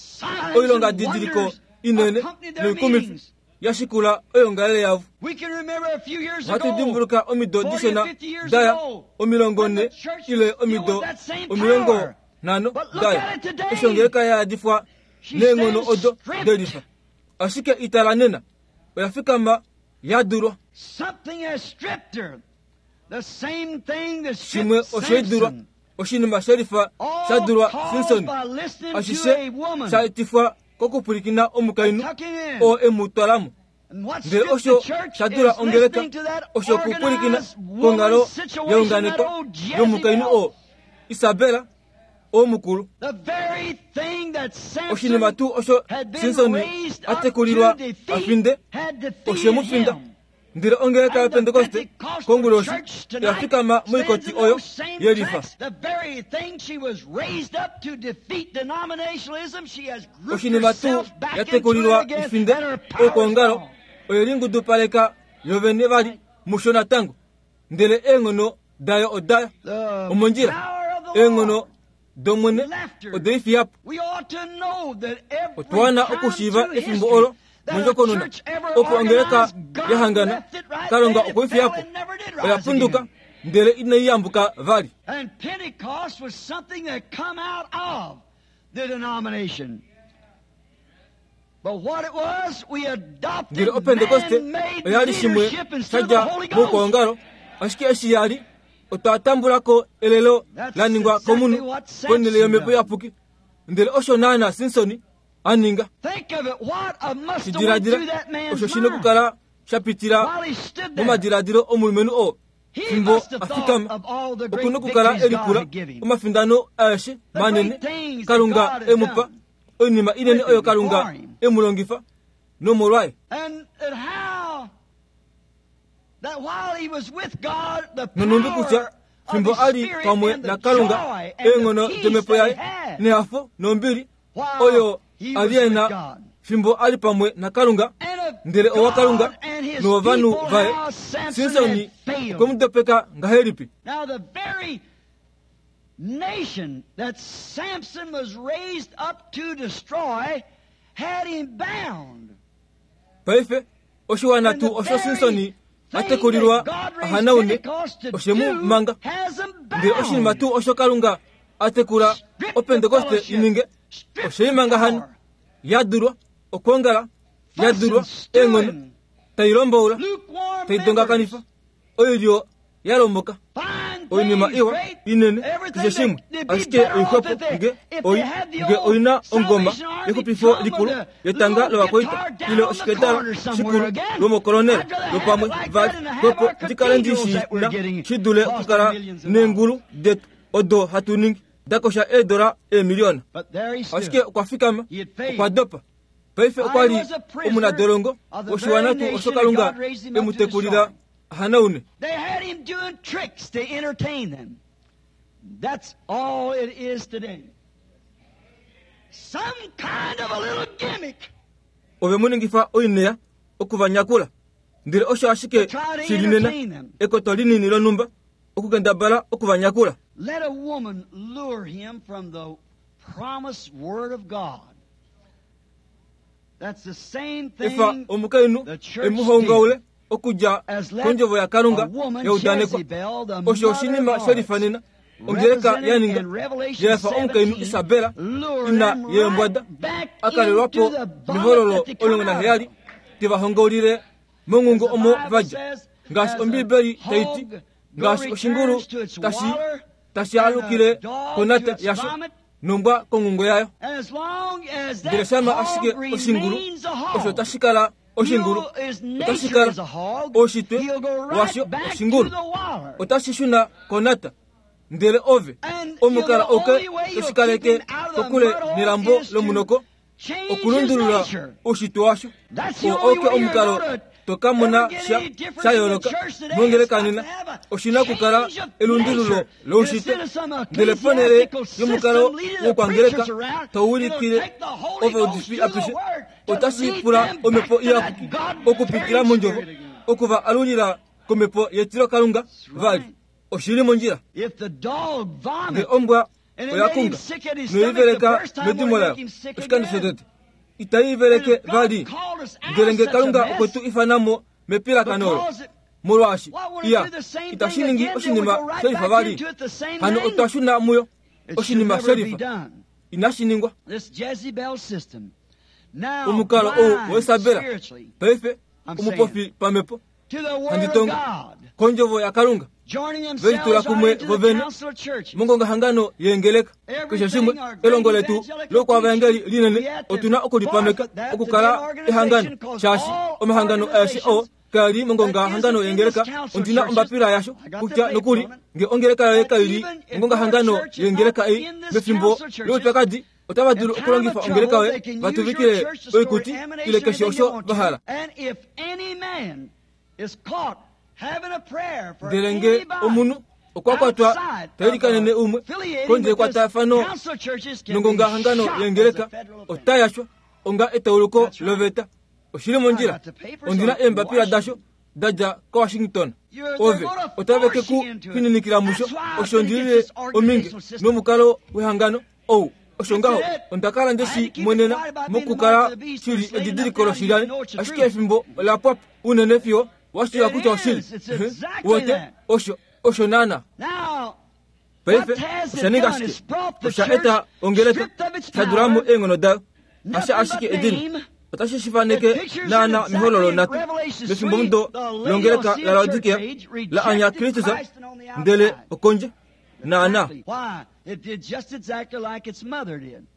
Speaker 1: oilongadidiliko inene noikumifi ya shikula oyoongalele yavo. Ohatu dimbuluka omido dishona daya, 40 ile omido 50 daya, eshi ongeleka ya adifwa neenghono odo delifa. Ashike itala nena, oya fikama ya dulwa. Shimwe oshe i dulwa, oshinima she lifa sha dulwa Simson, ashishe sha etifwa kokupwilikina omukainhu oo e mu twala mo. Ndele osho sha dula ongeleka osho okupwilikina konghalo ya unganekwa yomukainhu oo, Isabela oo mukulu. Oshinima tuu osho Simson a tekulilwa a finde, oshe mu finda. Ndele ongeleka yaPentekoste konguloshi oya fikama moikoti oyo ye lifa. Oshinima tuu ya tekulilwa i finde oukwaongalo, oye lingudupaleka yovene vali musho natango. Ndele eenghono dayo oda omondjila. Eenghono dOmwene ode i fiya po. Otwa wana okushiiva efimbo olo mondjokonona opo ongeleka ya hangana, Kalunga okwe i fiya po. Oya punduka. ndele inai yambuka vali.
Speaker 2: And Pentecost was something that come out of the denomination. But what it was, we adopted
Speaker 1: Ndele opentekoste
Speaker 2: man-made
Speaker 1: oya li shimwe
Speaker 2: leadership instead of the
Speaker 1: shadja
Speaker 2: Holy Ghost.
Speaker 1: moukwaongalo, ashike eshi ya li otwa tambula ko elelo
Speaker 2: That's
Speaker 1: la ningwa
Speaker 2: exactly
Speaker 1: komunhu
Speaker 2: what Samson
Speaker 1: ponhele yomhepo
Speaker 2: done.
Speaker 1: iyapuki. Ndele osho naana Simson a ninga.
Speaker 2: Think of it, what a must have went
Speaker 1: Shidiladila
Speaker 2: through that man's
Speaker 1: osho shina
Speaker 2: mind
Speaker 1: okukala sha pitila
Speaker 2: while he stood there.
Speaker 1: momadiladilo omulumenhu oo
Speaker 2: He
Speaker 1: fimbo
Speaker 2: must have
Speaker 1: a
Speaker 2: thought
Speaker 1: fikama
Speaker 2: of all the great
Speaker 1: okuna okukala
Speaker 2: victories God
Speaker 1: e lipula
Speaker 2: had given him.
Speaker 1: omafindano aeshe
Speaker 2: The
Speaker 1: manene
Speaker 2: great things that
Speaker 1: Kalunga
Speaker 2: God had
Speaker 1: e mu pa,
Speaker 2: done
Speaker 1: oinima inene
Speaker 2: with
Speaker 1: oyo
Speaker 2: him,
Speaker 1: Kalunga
Speaker 2: before him.
Speaker 1: e mu longifa nomolwaye.
Speaker 2: And that how that while he was with God, the
Speaker 1: Nonumbi kutya
Speaker 2: power of
Speaker 1: fimbo
Speaker 2: his
Speaker 1: a li
Speaker 2: spirit
Speaker 1: pamwe
Speaker 2: and the
Speaker 1: naKalunga
Speaker 2: joy and the
Speaker 1: eenghono
Speaker 2: peace
Speaker 1: domhepo
Speaker 2: that he
Speaker 1: yaye
Speaker 2: had
Speaker 1: nehafo nombili
Speaker 2: while
Speaker 1: oyo
Speaker 2: he
Speaker 1: a
Speaker 2: was
Speaker 1: li e
Speaker 2: with
Speaker 1: na
Speaker 2: God.
Speaker 1: fimbo a li pamwe naKalunga,
Speaker 2: And of
Speaker 1: ndele owa Kalunga
Speaker 2: God and his
Speaker 1: nowovanhu
Speaker 2: people,
Speaker 1: vaye,
Speaker 2: how Samson
Speaker 1: Simson
Speaker 2: had failed.
Speaker 1: okwe mu dopeka ngahelipi?
Speaker 2: Now the very nation that Samson was raised up to destroy had him bound.
Speaker 1: Paife oshiwana
Speaker 2: And the
Speaker 1: tuu osho
Speaker 2: very
Speaker 1: Simson
Speaker 2: thing
Speaker 1: a tekulilwa
Speaker 2: that God
Speaker 1: a
Speaker 2: raised
Speaker 1: hanaune
Speaker 2: Pentecost to
Speaker 1: oshe mu
Speaker 2: do
Speaker 1: manga.
Speaker 2: has him
Speaker 1: Ndele oshinima
Speaker 2: bound.
Speaker 1: tuu osho Kalunga a tekula
Speaker 2: Strip the
Speaker 1: opentekoste
Speaker 2: fellowship.
Speaker 1: i ninge
Speaker 2: Strip
Speaker 1: oshe i
Speaker 2: the
Speaker 1: manga hano
Speaker 2: power.
Speaker 1: ya dulwa okwoongala ya dulwa
Speaker 2: Fussing,
Speaker 1: eenghono
Speaker 2: stewing,
Speaker 1: tai lomboula
Speaker 2: lukewarm
Speaker 1: tai dongakanifa oilyo ya lomboka
Speaker 2: members. Fine
Speaker 1: oinima
Speaker 2: things,
Speaker 1: iwa
Speaker 2: great,
Speaker 1: inene
Speaker 2: everything
Speaker 1: keshe shimwe
Speaker 2: that- they'd be
Speaker 1: ashike
Speaker 2: better off
Speaker 1: oixwepo
Speaker 2: if they-
Speaker 1: nge
Speaker 2: if
Speaker 1: oi
Speaker 2: they had the
Speaker 1: nge
Speaker 2: old
Speaker 1: oina ongoma
Speaker 2: Salvation Army
Speaker 1: yexupifo
Speaker 2: drum
Speaker 1: likulu
Speaker 2: or the
Speaker 1: yetanga
Speaker 2: little
Speaker 1: lovakwaita
Speaker 2: guitar down
Speaker 1: ile
Speaker 2: on the
Speaker 1: oshiketala
Speaker 2: corner somewhere
Speaker 1: shikulu
Speaker 2: again.
Speaker 1: lomokolonela
Speaker 2: I'd rather have
Speaker 1: lopamwe
Speaker 2: it like
Speaker 1: vali
Speaker 2: that than have
Speaker 1: xwepo
Speaker 2: our
Speaker 1: ndikale ndi
Speaker 2: cathedrals that we're
Speaker 1: shina
Speaker 2: getting
Speaker 1: shi dule
Speaker 2: costing
Speaker 1: okukala
Speaker 2: millions of dollars.
Speaker 1: neengulu detu odo hatu ningi dakosha eedola eemiliyona.
Speaker 2: But there he stood.
Speaker 1: Ashike okwa fikama
Speaker 2: He had failed.
Speaker 1: okwa dopa. Paife okwa li
Speaker 2: I was a prisoner
Speaker 1: omunadolongo
Speaker 2: of the
Speaker 1: woshiwana
Speaker 2: very
Speaker 1: tuu osho
Speaker 2: nation that
Speaker 1: Kalunga
Speaker 2: God raised him
Speaker 1: e
Speaker 2: up
Speaker 1: mu
Speaker 2: to
Speaker 1: tekulila
Speaker 2: destroy.
Speaker 1: hanaune.
Speaker 2: They had him doing tricks to entertain them. That's all it is today. Some kind of a little gimmick.
Speaker 1: Ove mu ningifa oineya okuvanyakula. Ndele osho ashike
Speaker 2: To try to
Speaker 1: shi li nena
Speaker 2: entertain them.
Speaker 1: ekoto linini lonhumba okukendabala okuvanyakula.
Speaker 2: Let a woman lure him from the promised word of God. That's the same
Speaker 1: Efa
Speaker 2: thing
Speaker 1: omukainhu
Speaker 2: the church
Speaker 1: e mu hongaule okudja
Speaker 2: as let
Speaker 1: kondjovo yaKalunga
Speaker 2: a woman,
Speaker 1: yaudanekwa.
Speaker 2: Jezebel, the
Speaker 1: Osho
Speaker 2: mother
Speaker 1: oshinima
Speaker 2: of
Speaker 1: she lifanena
Speaker 2: harlots,
Speaker 1: ongeleka ya
Speaker 2: represented
Speaker 1: ninga
Speaker 2: in Revelation
Speaker 1: yefa omukainhu
Speaker 2: 17,
Speaker 1: Isabela
Speaker 2: lure
Speaker 1: ina
Speaker 2: them
Speaker 1: yeembwada
Speaker 2: right back
Speaker 1: akalelwapo
Speaker 2: into the vomit
Speaker 1: mehololo
Speaker 2: that they come
Speaker 1: olongo
Speaker 2: out
Speaker 1: naheyali
Speaker 2: of.
Speaker 1: tevahongaulile monghungo
Speaker 2: As the
Speaker 1: omo
Speaker 2: Bible
Speaker 1: vadja.
Speaker 2: says,
Speaker 1: Ngaashi
Speaker 2: as a
Speaker 1: Ombiibeli tai ti,
Speaker 2: hog
Speaker 1: ngaashi oshingulu
Speaker 2: returns to its
Speaker 1: tashi
Speaker 2: water,
Speaker 1: tashi
Speaker 2: and a
Speaker 1: alukile
Speaker 2: dog
Speaker 1: konata
Speaker 2: to its
Speaker 1: yasho
Speaker 2: vomit,
Speaker 1: nombwa konghungo yayo.
Speaker 2: And as long as
Speaker 1: Ndele
Speaker 2: that
Speaker 1: shama
Speaker 2: hog
Speaker 1: ashike oshingulu
Speaker 2: remains a
Speaker 1: osho
Speaker 2: hog,
Speaker 1: tashi kala oshingulu
Speaker 2: he'll- his
Speaker 1: otashi
Speaker 2: nature
Speaker 1: kala
Speaker 2: is a hog,
Speaker 1: oushitwe
Speaker 2: he'll go right
Speaker 1: washo
Speaker 2: back to
Speaker 1: oshingulu
Speaker 2: the water.
Speaker 1: otashi shuna konata. Ndele ove
Speaker 2: And
Speaker 1: omukala
Speaker 2: the
Speaker 1: oke
Speaker 2: only way you'll
Speaker 1: toshi kaleke
Speaker 2: keep him out of the
Speaker 1: kokule
Speaker 2: mud hole
Speaker 1: nelambo
Speaker 2: is to
Speaker 1: lomunoko
Speaker 2: change his
Speaker 1: okulundulula
Speaker 2: nature.
Speaker 1: oushitwe washo.
Speaker 2: That's the
Speaker 1: Oo
Speaker 2: only
Speaker 1: oke
Speaker 2: way you're
Speaker 1: omukalo
Speaker 2: gonna
Speaker 1: to ka mona
Speaker 2: ever get
Speaker 1: sha
Speaker 2: any difference
Speaker 1: sha
Speaker 2: in the
Speaker 1: yooloka
Speaker 2: church today.
Speaker 1: mongeleka
Speaker 2: It's got
Speaker 1: nena
Speaker 2: to have a
Speaker 1: oshina okukala
Speaker 2: change of
Speaker 1: elundululo
Speaker 2: nature.
Speaker 1: loushitwe.
Speaker 2: Instead of some
Speaker 1: Ndele ponhele
Speaker 2: ecclesiastical
Speaker 1: yomukalo
Speaker 2: system leading the
Speaker 1: wokwangeleka
Speaker 2: preachers around,
Speaker 1: taulikile
Speaker 2: it'll take the Holy
Speaker 1: ove
Speaker 2: Ghost
Speaker 1: udifi
Speaker 2: through the
Speaker 1: apishe
Speaker 2: Word to
Speaker 1: otashi
Speaker 2: lead
Speaker 1: pula
Speaker 2: them
Speaker 1: omhepo
Speaker 2: back to that
Speaker 1: iyapuki
Speaker 2: God-fearing
Speaker 1: okupitila mondjovo
Speaker 2: spirit again.
Speaker 1: okuva alulila komhepo yetilo Kalunga vali oshili mondjila.
Speaker 2: If the dog
Speaker 1: Nge
Speaker 2: vomit
Speaker 1: ombwa
Speaker 2: and it
Speaker 1: oya
Speaker 2: made him
Speaker 1: kunga
Speaker 2: sick at his stomach the
Speaker 1: noiveleka
Speaker 2: first time,
Speaker 1: medimo
Speaker 2: won't it
Speaker 1: layo
Speaker 2: make him sick
Speaker 1: oshikando
Speaker 2: again?
Speaker 1: shotete itai iveleke
Speaker 2: And if God
Speaker 1: vali.
Speaker 2: called us out
Speaker 1: Ndele
Speaker 2: of
Speaker 1: nge
Speaker 2: such a
Speaker 1: Kalunga
Speaker 2: mess,
Speaker 1: okwe tu ifanamo mepilakano olo
Speaker 2: because it-
Speaker 1: molwaashi
Speaker 2: why won't it
Speaker 1: iya
Speaker 2: do the same
Speaker 1: itashi
Speaker 2: thing
Speaker 1: ningi
Speaker 2: again? Then we
Speaker 1: oshinima
Speaker 2: go right
Speaker 1: shelifa
Speaker 2: back
Speaker 1: vali.
Speaker 2: into it the same
Speaker 1: Hano
Speaker 2: thing.
Speaker 1: otwa shuna muyo
Speaker 2: It should
Speaker 1: oshinima
Speaker 2: never be
Speaker 1: shelifa
Speaker 2: done.
Speaker 1: inashi ningwa.
Speaker 2: This Jezebel system. Now,
Speaker 1: Omukalo ou
Speaker 2: blind
Speaker 1: weisabela
Speaker 2: spiritually
Speaker 1: paife
Speaker 2: I'm
Speaker 1: omupofi pamhepo
Speaker 2: to the Word
Speaker 1: handi
Speaker 2: of
Speaker 1: tongo
Speaker 2: God,
Speaker 1: kondjovo yaKalunga
Speaker 2: joining
Speaker 1: velitula
Speaker 2: themselves right
Speaker 1: kumwe
Speaker 2: into the
Speaker 1: vovene
Speaker 2: council of churches.
Speaker 1: mongongahangano yeengeleka keshe shimwe elongo letu lokwavaengeli linene otuna okulipameka okukala ehangano shaashi omahangano aeshe oo kaali mongongahangano yengeleka ondina ombapila yasho kutya nokuli nge ongeleka yoye kaili mongongahangano yengeleka ei mefimbo loupyakadi otava dulu okulongifa ongeleka yoye vatuvikile oikuti ile keshe osho vahala.
Speaker 2: And if any man is caught having a prayer for
Speaker 1: Ndele nge
Speaker 2: anybody
Speaker 1: omunhu okwa kwatwa
Speaker 2: outside
Speaker 1: tailikanene
Speaker 2: of
Speaker 1: umwe
Speaker 2: affiliating
Speaker 1: kondje
Speaker 2: with this
Speaker 1: ekwatafano
Speaker 2: council of churches can be
Speaker 1: nongongahangano
Speaker 2: shot as a
Speaker 1: yengeleka
Speaker 2: federal offense.
Speaker 1: ota yashwa onga etauluko
Speaker 2: That's right.
Speaker 1: loveta. Oshili mondjila ondina eembapila dasho dadja koWashington. Ove otave ke ku fininikila musho osho ndilile ominge nomukalo wehangano ou osho ngaho onda kala ndeshi mwenena mokukala shili edidiliko loshilyani ashike efimbo ola pwapo unene fiyo washiiva kutya oshili. Wote osho Osho naana. Paife osha ninga ashike? Osha eta ongeleka sha dula mo eenghono dayo. Hasha ashike edina. Otashi shi faneke naana mehololo nhatu, mefimbomudo longeleka laLaodikea la anya Kristus ndele okondje. Naana.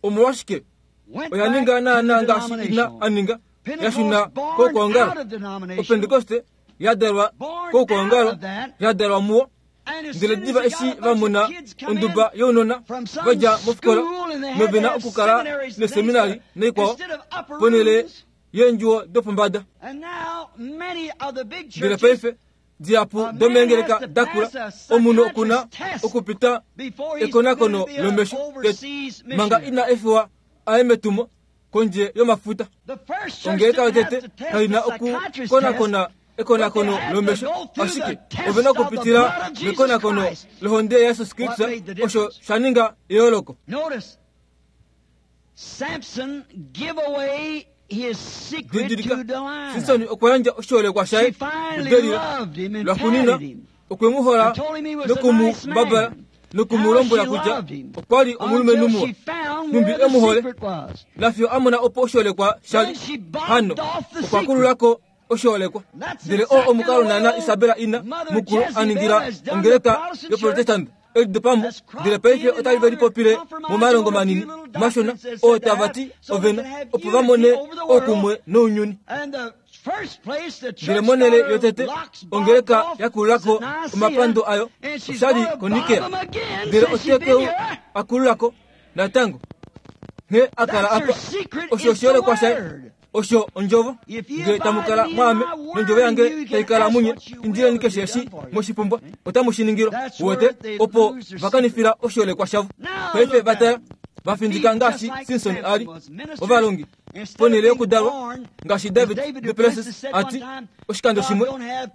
Speaker 1: Omolwashike? Oya ninga naana ngaashi ina a ninga, ya shuna koukwaongalo. Opentekoste ya dalwa koukwaongalo, ya dalwa muwo. Ndele diva eshi va mona onduba younona va dja mofikola nove na okukala neseminari naikwao ponhele yeendjuwo dopombada. Ndele paife dihapu domeengeleka da kula, omunhu oku na okupita ekonakono lomesho tete manga ina efiwa a ye metumo kondje yomafuta. Ongeleka yotete kai na okukonakona ekonakono lomesho, ashike ove na okupitila mekonakono lohonde yaJesus Kristus, osho sha ninga eyooloko. Didilika, Simson okwa yandja oshiholekwa shaye kuDelila. Lwaxuuninwa, okwe mu hola noku mu mbabala noku mu lombwela kutya okwa li omulumenhu muwa, nhumbi e mu hole, nafiyo a mona opo oshiholekwa sha li. Hano okwa kulula ko oshiholekwa. Ndele oo omukalo naana Isabela ina mukulu a ningila ongeleka yoProtestant elidopamo, ndele paife otali ve lipopile momalongo manini mashona oo tava ti ove na, opo va mone oukumwe nounyuni. Ndele monhele yotete ongeleka ya kulula ko omapando ayo osha li koNikea, ndele ote ke u a kulula ko natango. Nghee a kala apa, osho oshiholekwa shaye. Osho ondjovo. Nge tamu kala mwaame, nondjovo yange tai kala munye, indileni keshe eshi moshipumbwa, otamu shi ningilwa. Uwete, opo va kanifila oshiholekwa shavo. Paife va tala, va findika ngaashi Simson a li, ovalongi, ponhele yokudalwa, ngaashi David duPlessis a ti oshikando shimwe,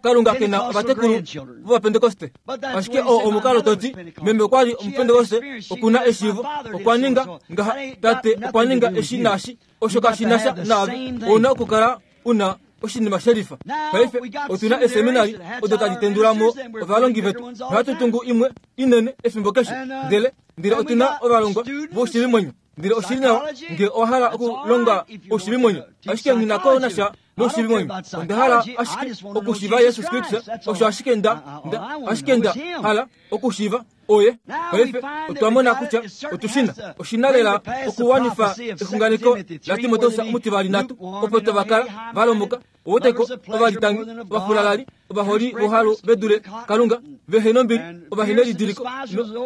Speaker 1: Kalunga ke na ovatekulu vOvapentekoste. Ashike oo omukalo to ti, Meme okwa li Omupentekoste, oku na eshiivo, okwa ninga ngaha, tate okwa ninga eshi naashi. Osho kashi na sha naave. Ou na okukala u na oshinima shelifa. Paife otu na eeseminari odo tadi tendula mo ovalongi vetu. Nohatu tungu imwe inene efimbo keshe. Ndele, ndele otu na ovalongwa voushiivimwenyo. Ndele oshi li nawa nge owa hala okulonga oushivimwenyo, ashike nghi na ko na sha noushiivimwenyo. Onda hala ashike okushiiva Jesus Kristus, osho ashike nda, nda, ashike nda hala okushiiva Oye. Paife otwa mona kutya otu shi na. Oshi na lela okuwanifa exunganeko laTimoteus omutivali nhatu, opo tava kala va lomboka, owoteko, ovalitangi, ovafulalali, ovaholi vohalu ve dule Kalunga, vehe nombili, ovahenelidiliko,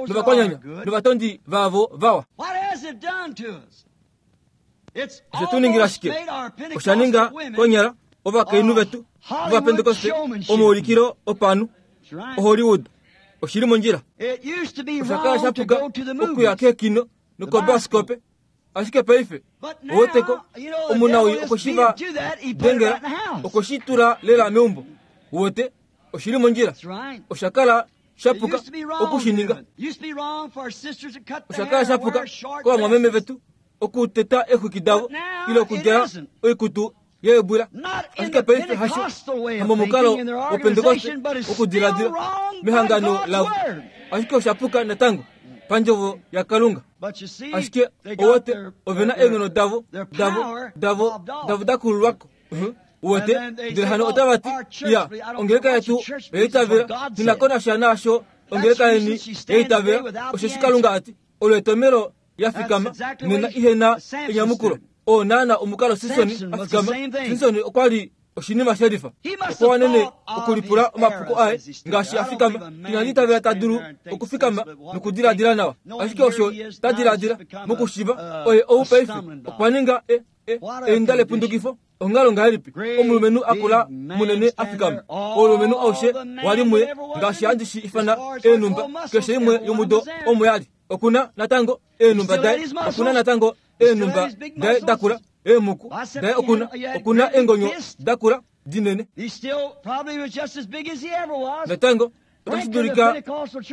Speaker 1: novakwanyanya, novatondi vaavo vawa. Oshe tu ningila shike? Osha ninga konyala ovakainhu vetu vOvapentekoste omaulikilo opanhu, oHollywood. Oshi li mondjila. Osha kala sha puka okuya keekino nokobaskope, ashike paife oweteko omunawii okwe shi va dengela, okwe shi tula lela meumbo. Uwete, oshi li mondjila. Osha kala sha puka oku shi ninga. Osha kala sha puka kovamwameme vetu okuteta eexwiki davo ile okudjala oikutu yeebwila. Ashike paife hasho, hamomukalo wOpentekoste wokudiladila mehangano lavo, ashike osha puka natango pandjovo yaKalunga. Ashike owote ove na eenghono davo, davo, davo, davo da kululwa ko. Uwete? Ndele hano otava ti, Ya, ongeleka yetu oya itavela. Tu na ko nasha naasho ongeleka yeni ya itavela, osheshi Kalunga a ti, Olo etomelo ya fikama nena ihe na enyamukulo. Oo naana omukalo Simson a fikama. Simson okwa li oshinima shelifa. Okwa wanene okulipula omapuko aye ngaashi a fikama. Inandi itavela ta dulu okufikama nokudiladila nawa. Ashike osho ta diladila mokushiva, oye ou paife okwa ninga e, e, einda lepundukifo. Onghalo ngahelipi omulumenhu a kula munene a fikama? Oulumenhu aushe wa li muye, ngaashi handi shi ifana eenhumba, keshe imwe yomudo omo ya li. Oku na natango eenhumba daye, oku na natango eenhumba daye da kula, eemuku daye oku na, oku na eengonyo da kula dinene. Natango otashi dulika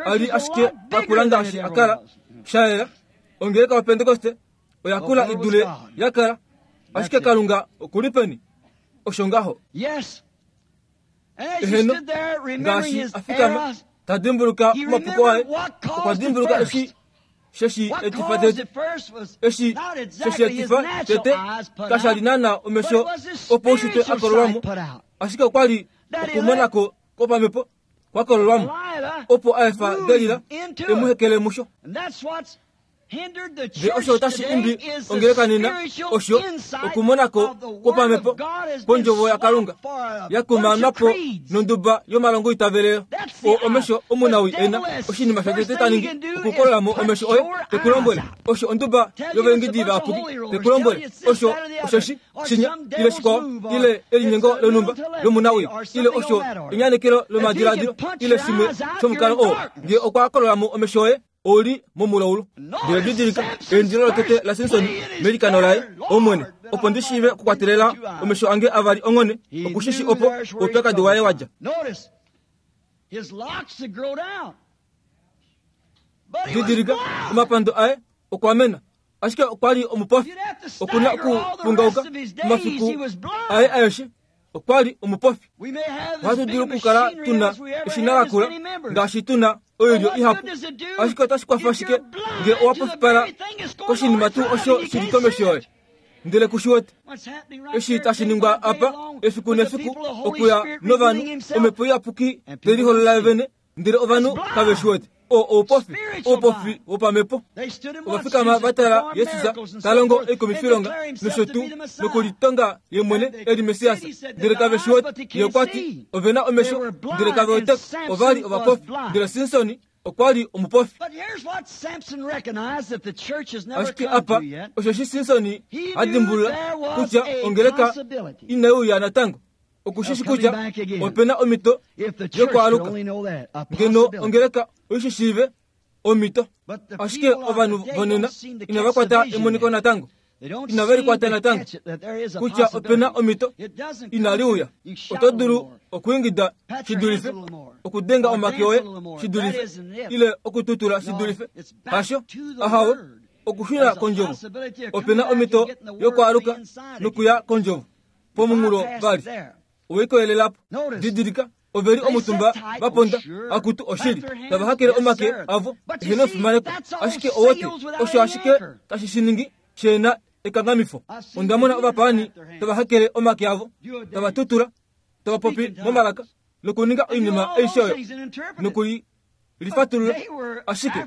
Speaker 1: a li ashike a kula ngaashi a kala, sha yela. Ongeleka yoPentekoste oya kula i dule ya kala. Ashike Kalunga oku li peni? Osho ngaho. Eheno, ngaashi a fikama. Ta dimbuluka omapuko aye, okwa dimbuluka eshi sheshi etifa tete. Eshi sheshi etifa tete kasha li naana omesho opaushitwe a kololwa mo, ashike okwa li okumonako kwopamhepo kwa kololwa mo, opo a efa Delila e mu hekele musho. Ndele osho otashi imbi ongeleka nena, osho okumonako kwopamhepo kwondjovo yaKalunga ya kumaanwa po nonduba yomalongo itavelelo. O omesho omunawii e na oshinima shotete ta ningi okukolola mo omesho oye, te ku lombwele osho onduba yovaengedi vayapuki, te ku lombwele osho osheshi shinya ile shikwao ile elinyengo lonhumba lomunawii ile osho enyanekelo lomadiladilo ile shimwe shomukalo oo. Ngee okwa kolola mo omesho oye, ou li momulaulu. Ndele didilika eindilo lotete laSimson meilikano laye, Omwene, opo ndi shiive okukwatelela omesho ange avali onghone, oku shi shi opo oupyakadi waye wa dja. Didilika, omapando aye okwa mena, ashike okwa li omupofi. Oku na okupungauka omafiku aye aeshe. Okwa li omupofi. Ohatu dulu okukala tu na eshina lakula ngaashi tu na oilyo ihapu, ashike otashi kwafa shike ngee owa pofipala koshinima tuu osho shi li komesho yoye ndele ku shi wete? Eshi tashi ningwa apa efiku nefiku okuya novanhu, Omhepo Iyapuki te liholola ye vene ndele ovanhu kave shi wete. O oupofi, oupofi wopamhepo. Ova fikama va tala Jesus ta longo oikumifilonga nosho tuu, nokulitonga ye mwene e li Messias, ndele kave shi wete. Ye okwa ti, Ove na omesho, ndele kave wete ko. Ova li ovapofi, ndele Simson okwa li omupofi. Ashike apa osheshi Simson a dimbulula kutya ongeleka inai uya natango. Oku shi shi kutya ope na omhito yokwaaluka. Ngeno ongeleka oi shi shiive omhito. Ashike ovanhu vonena inava kwata emoniko natango. Inave li kwata natango kutya ope na omhito inali uya. Oto dulu okwiingida shi dulife, okudenga omake oye shi dulife, ile okututula shi dulife. Hasho, ahawe, okushuna kondjovo. Ope na omhito yokwaaluka nokuya kondjovo. Pomunghulo vali, ove koyelela po. Didilika, ove li omutumba va ponda, akutu oshili, tava hakele omake avo ehe nofimaneko. Ashike owete, osho ashike tashi shi ningi she na ekanghamifo. Onda mona ovapaani tava hakele omake avo, tava tutula, tava popi momalaka, nokuninga oinima aishe oyo, noku i lifatulula, ashike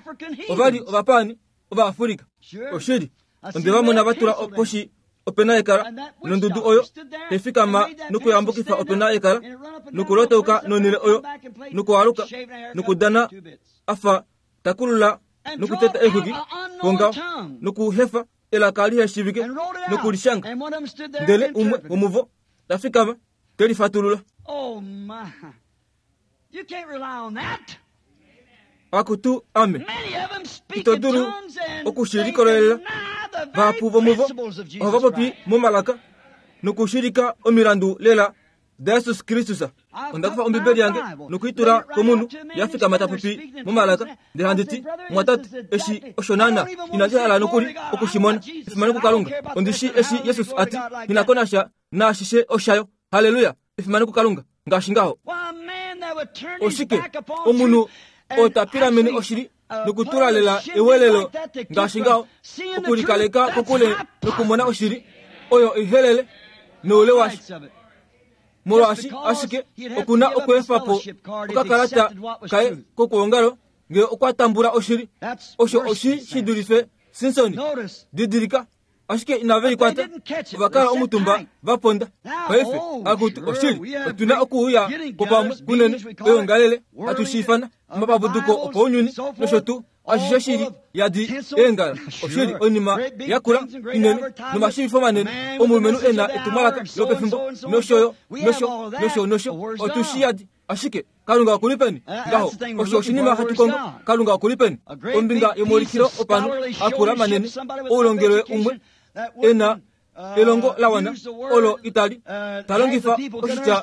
Speaker 1: ova li ovapaani Ovaafrika. Oshili, onde va mona va tula poshi opena yekala, nondudu oyo tai fikama nokuyambukifa opena yekala, nokulotauka nonhele oyo, nokualuka, nokudana a fa ta kulula nokuteta eexwiki pongaho, nokuhefa elaka lihe shiivike nokulishanga. Ndele umwe womuvo ta fikama te lifatulula. Akutu ame, ito dulu oku shi likolelela. Vahapu vomuvo ohava popi momalaka nokushilika omilandu lela daJesus Kristus. Onda kufa Ombibeli yange noku i tula komunhu ya fikama ta popi momalaka, ndele handi ti, Mumwatate, eshi osho naana inandi hala nokuli oku shi mona. Efimano kuKalunga! Ondi shii eshi Jesus a ti, Nghi na ko nasha naashishe oshayo. Halleluya! Efimano kuKalunga! Ngaashi ngaho. Oshike? Omunhu oo ta pilamene oshili nokutula lela ewelelo ngaashi ngaho, okulikaleka kokule nokumona oshili oyo ihelele noule washo, molwaashi ashike oku na okweefa po okakalata kaye kokwoongalo ngee okwa tambula oshili. Osho oshi shi dulife Simson. Didilika. Ashike inave likwata, ova kala omutumba va ponda. Paife, akutu, oshili, otu na okuuya ko pamwe kunene, oyoongalele, hatu shi ifana, omapapuduko opaunyuni nosho tuu, ashishe shi li yadi eengala. Oshili, oinima yakula inene nomashiivifo manene, omulumenhu e na etumwalaka lopefimbo, nosho yo, nosho, nosho, nosho, otu shi yadi. Ashike Kalunga oku li peni? Ngaho, osho oshinima hatu kongo. Kalunga oku li peni? Ombinga yomaulikilo opanhu akula manene, oulongelwe umwe e na elongo la wana olo itali ta longifa oshitya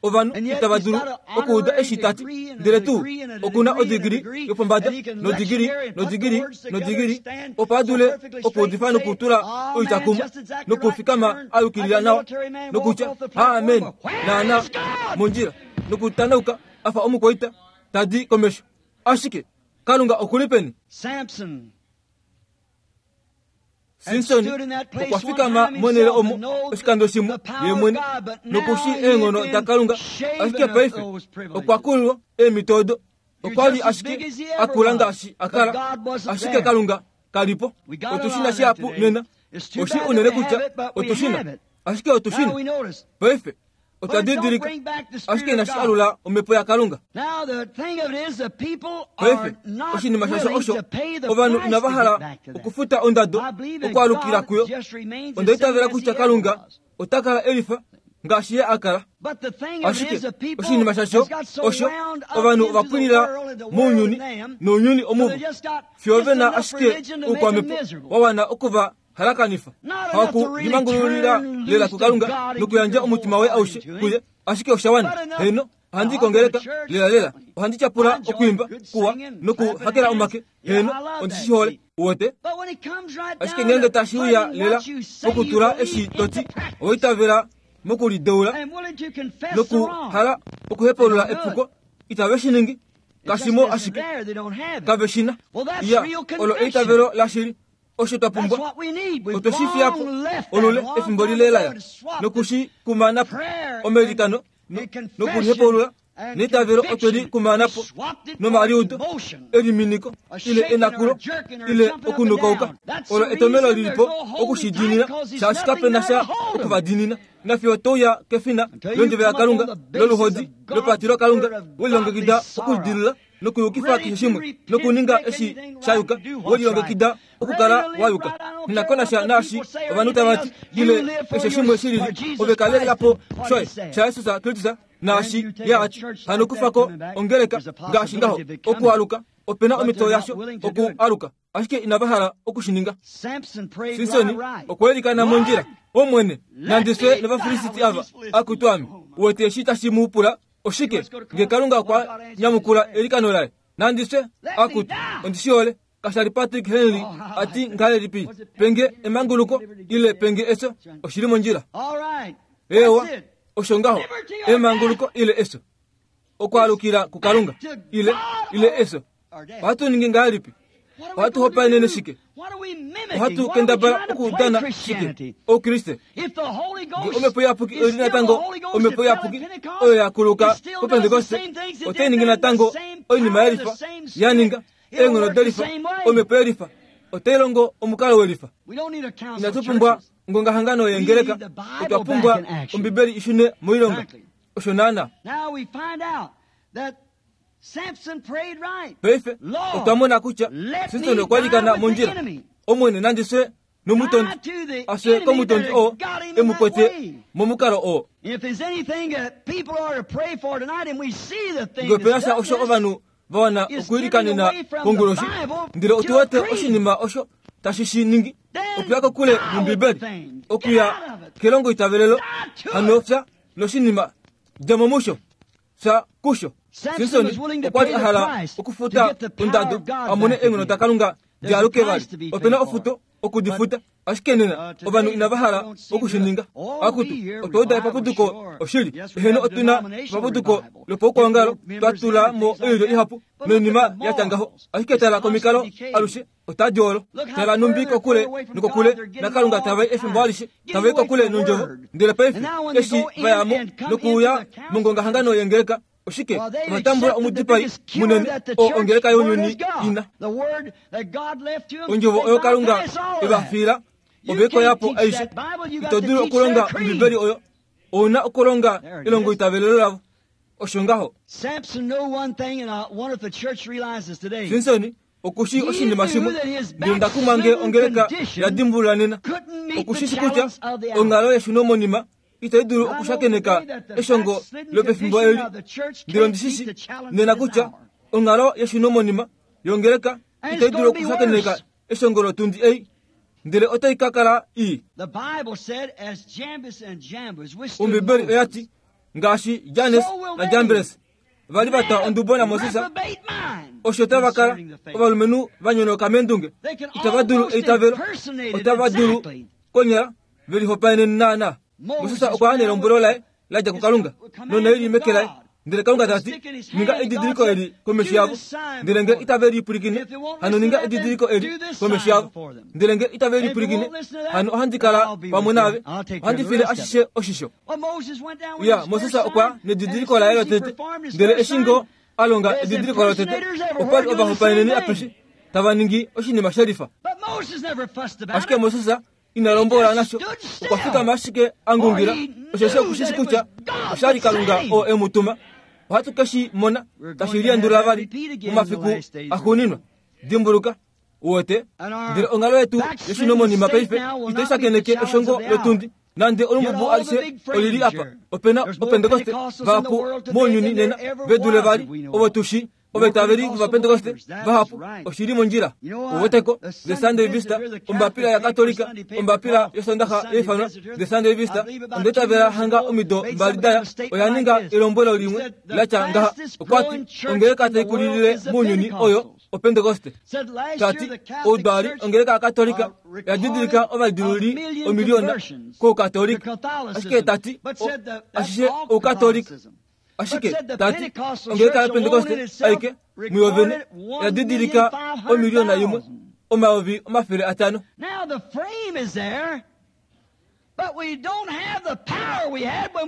Speaker 1: ovanhu itava dulu okuuda eshi ta ti, ndele tuu oku na odigili yopombada nodigili nodigili nodigili opo a dule okuudifa nokutula oitya kumwe nokufikama a yukilila nawa nokutya amen naana mondjila nokutanauka a fa omukwaita. tadi komesho. Ashike Kalunga oku li peni? Simson okwa fikama monhele omo oshikando shimwe ye mwene noku shii eenghono daKalunga, ashike paife okwa kulilwa eemhito odo. Okwa li ashike a kula ngaashi a kala, ashike Kalunga ka li po. Otu shi na shihapu nena. Oshi unene kutya otu shi na, ashike otu shi na. Paife otwa didilika, ashike inashi alula omhepo yaKalunga. Paife, oshinima shasho osho, ovanhu inava hala okufuta ondado okwaalukila kuyo. Onda itavela kutya Kalunga ota kala e lifa ngaashi ye a kala. Ashike oshinima shasho osho, ovanhu ova pwilila mounyuni nounyuni omuvo, fiyo ve na ashike oukwamhepo wa wana oku va halakanifa. Haku limangululila lela kuKalunga nokuyandja omutima waye aushe kuye, ashike osha wana. Heeno, ohandi kongeleka lela lela. Ohandi tyapula okwiimba kuwa nokuhakela omake. Heeno, ondi shi hole. Uwete? Ashike ngeenge tashi uya lela pokutula eshi to ti owa itavela mokulideula nokuhala okuhepaulula epuko, itave shi ningi. Kashi mo ashike. Kave shi na. Iya, olo eitavelo lashili. Osho twa pumbwa. Otwe shi fiya po olule efimbo lile la ya, noku shi kumana po. Omailikano nokulihepaulula neitavelo otwe li kumana po nomaliudo eliminiko ile enakulo ile okunukauka. Olo etomelo li li po oku shi diinina, shaashi kape na sha oku va diinina. Nafiyo to uya kefina londjove yaKalunga, loluhodi lopatilokalunga, we lilongekida okulidilula nokuyukifa keshe shimwe nokuninga eshi sha yuka, we lilongekida okukala wa yuka. Nakonasha naashi ovanhu tava ti, ile keshe shimwe shi lili, ove kalela po shoye shaJesus Kristus naashi Ye a ti. Hano kufa ko ongeleka ngaashi ngaho, okualuka, ope na omhito yasho okualuka, ashike inava hala oku shi ninga. Simson okwa ilikana mondjila, Omwene, nandi fye nOvafilisti ava, akutu ame. Uwete eshi tashi mu pula? Oshike nge Kalunga okwa nyamukula eilikano laye? Nandi fye, akutu, ondi shi hole. Kasha li Patrick Henry a ti ngahelipi, Penge emanguluko ile penge efyo, oshi li mondjila. Eewa, osho ngaho, emanguluko ile efyo. Okwaalukila kuKalunga ile ile efyo. Ohatu ningi ngahelipi? Ohatu hopaenene shike? Ohatu kendabala okudana shike? Oukriste. Nge Omhepo Iyapuki oi li natango Omhepo Iyapuki oyo ya kuluka pOpentekoste, otai ningi natango oinima ye lifa ya ninga, eenghono delifa, Omhepo yelifa, otai longo omukalo welifa. Inatu pumbwa ongongahangano yeengeleka, otwa pumbwa Ombibeli i shune moilonga. Osho naana. Paife otwa mona kutya Simson okwa likana mondjila. Omwene nandi fye nomutondi, a fye komutondi oo e mu kwete momukalo oo. Nge ope na sha osho ovanhu va wana okwiilikanena konguloshi, ndele otu wete oshinima osho tashi shi ningi, okuya kokule nOmbibeli, okuya kelongoitavelelo, hano fya noshinima, dja mo musho. Fya kusho. Simson okwa li a hala okufuta ondado a mone eenghono daKalunga di aluke vali. Ope na ofuto oku di futa, ashike nena ovanhu inava hala oku shi ninga. Akutu, otwa uda epapuduko oshili. Eheno, otu na epapuduko lopaukwaongalo, twa tula mo oilyo ihapu noinima ya tya ngaho. Ashike tala komikalo alushe otadi olo. Tala numbi kokule nokokule naKalunga tava i efimbo alishe, tava i kokule nOndjovo. Ndele paife, eshi va ya mo nokuuya mongongahangano yengeleka, oshike ova tambula omudipai munene oo ongeleka younyuni i na. Ondjovo oyo Kalunga e va fiila, ove i koya po aishe. Ito dulu okulonga Ombibeli oyo. Ou na okulonga elongoitavelelo lavo. Osho ngaho. Simson oku shii oshinima shimwe, ndele onda kumwa nge ongeleka ya dimbulula nena. Oku shi shi kutya onghalo yeshunomonima itai dulu okushakeneka eshongo lopefimbo eli. Ndele ondi shi shi nena kutya onghalo yeshunomonima yongeleka itai dulu okushakeneka eshongo lotundi ei, ndele otai ka kala ii. Ombibeli oya ti, ngaashi Jannes naJambres va li va twa ondubo naMoses, osho tava kala ovalumenhu va nyonoka meendunge, itava dulu eitavelo, otava dulu konyala ve lihopaenene naanaa. Moses okwa ya nelombwelo laye la dja kuKalunga, nonaili meke laye. Ndele Kalunga ta ti, Ninga edidiliko eli komesho yavo. Ndele nge itave li pwilikine, hano ninga edidiliko eli komesho yavo. Ndele nge itave li pwilikine, hano ohandi kala pamwe naave, ohandi file ashishe oshisho. Ya, Moses okwa nedidiliko laye lotete. Ndele eshi ngo a longa edidiliko lotete, opa li ovahopaeneni apeshe tava ningi oshinima shelifa. Ashike Moses ina lombola nasho, okwa fikama ashike a ngungila, osheshi oku shi shi kutya osha li Kalunga oo e mu tuma. Ohatu ke shi mona tashi liendulula vali momafiku axuuninwa. Dimbuluka, uwete, ndele onghalo yetu yoshinomonima paife itai shakeneke eshongo lotundi. Nande olumbubu alishe oli li apa, ope na Opentekoste vahapu mounyuni nena ve dule vali ovo tu shii. Ovaitaveli vOvapentekoste vahapu oshi li mondjila. Uweteko, The Sunday Visitor, ombapila yaKatolika, ombapila yOsondaxa ya ifanwa The Sunday Visitor, onda itavela hanga omido mbali da ya, oya ninga elombwelo limwe la tya ngaha. Okwa ti, Ongeleka tai kulilile mounyuni oyo Opentekoste. Ta ti, Oudwaali ongeleka yaKatolika oya didilika ovalidiluli omiliona kOukatolika. Ashike ta ti, Ashishe Oukatolika. Ashike, ta ti, ongeleka yaPentekoste aike muyo vene oya didilika 1 500 000.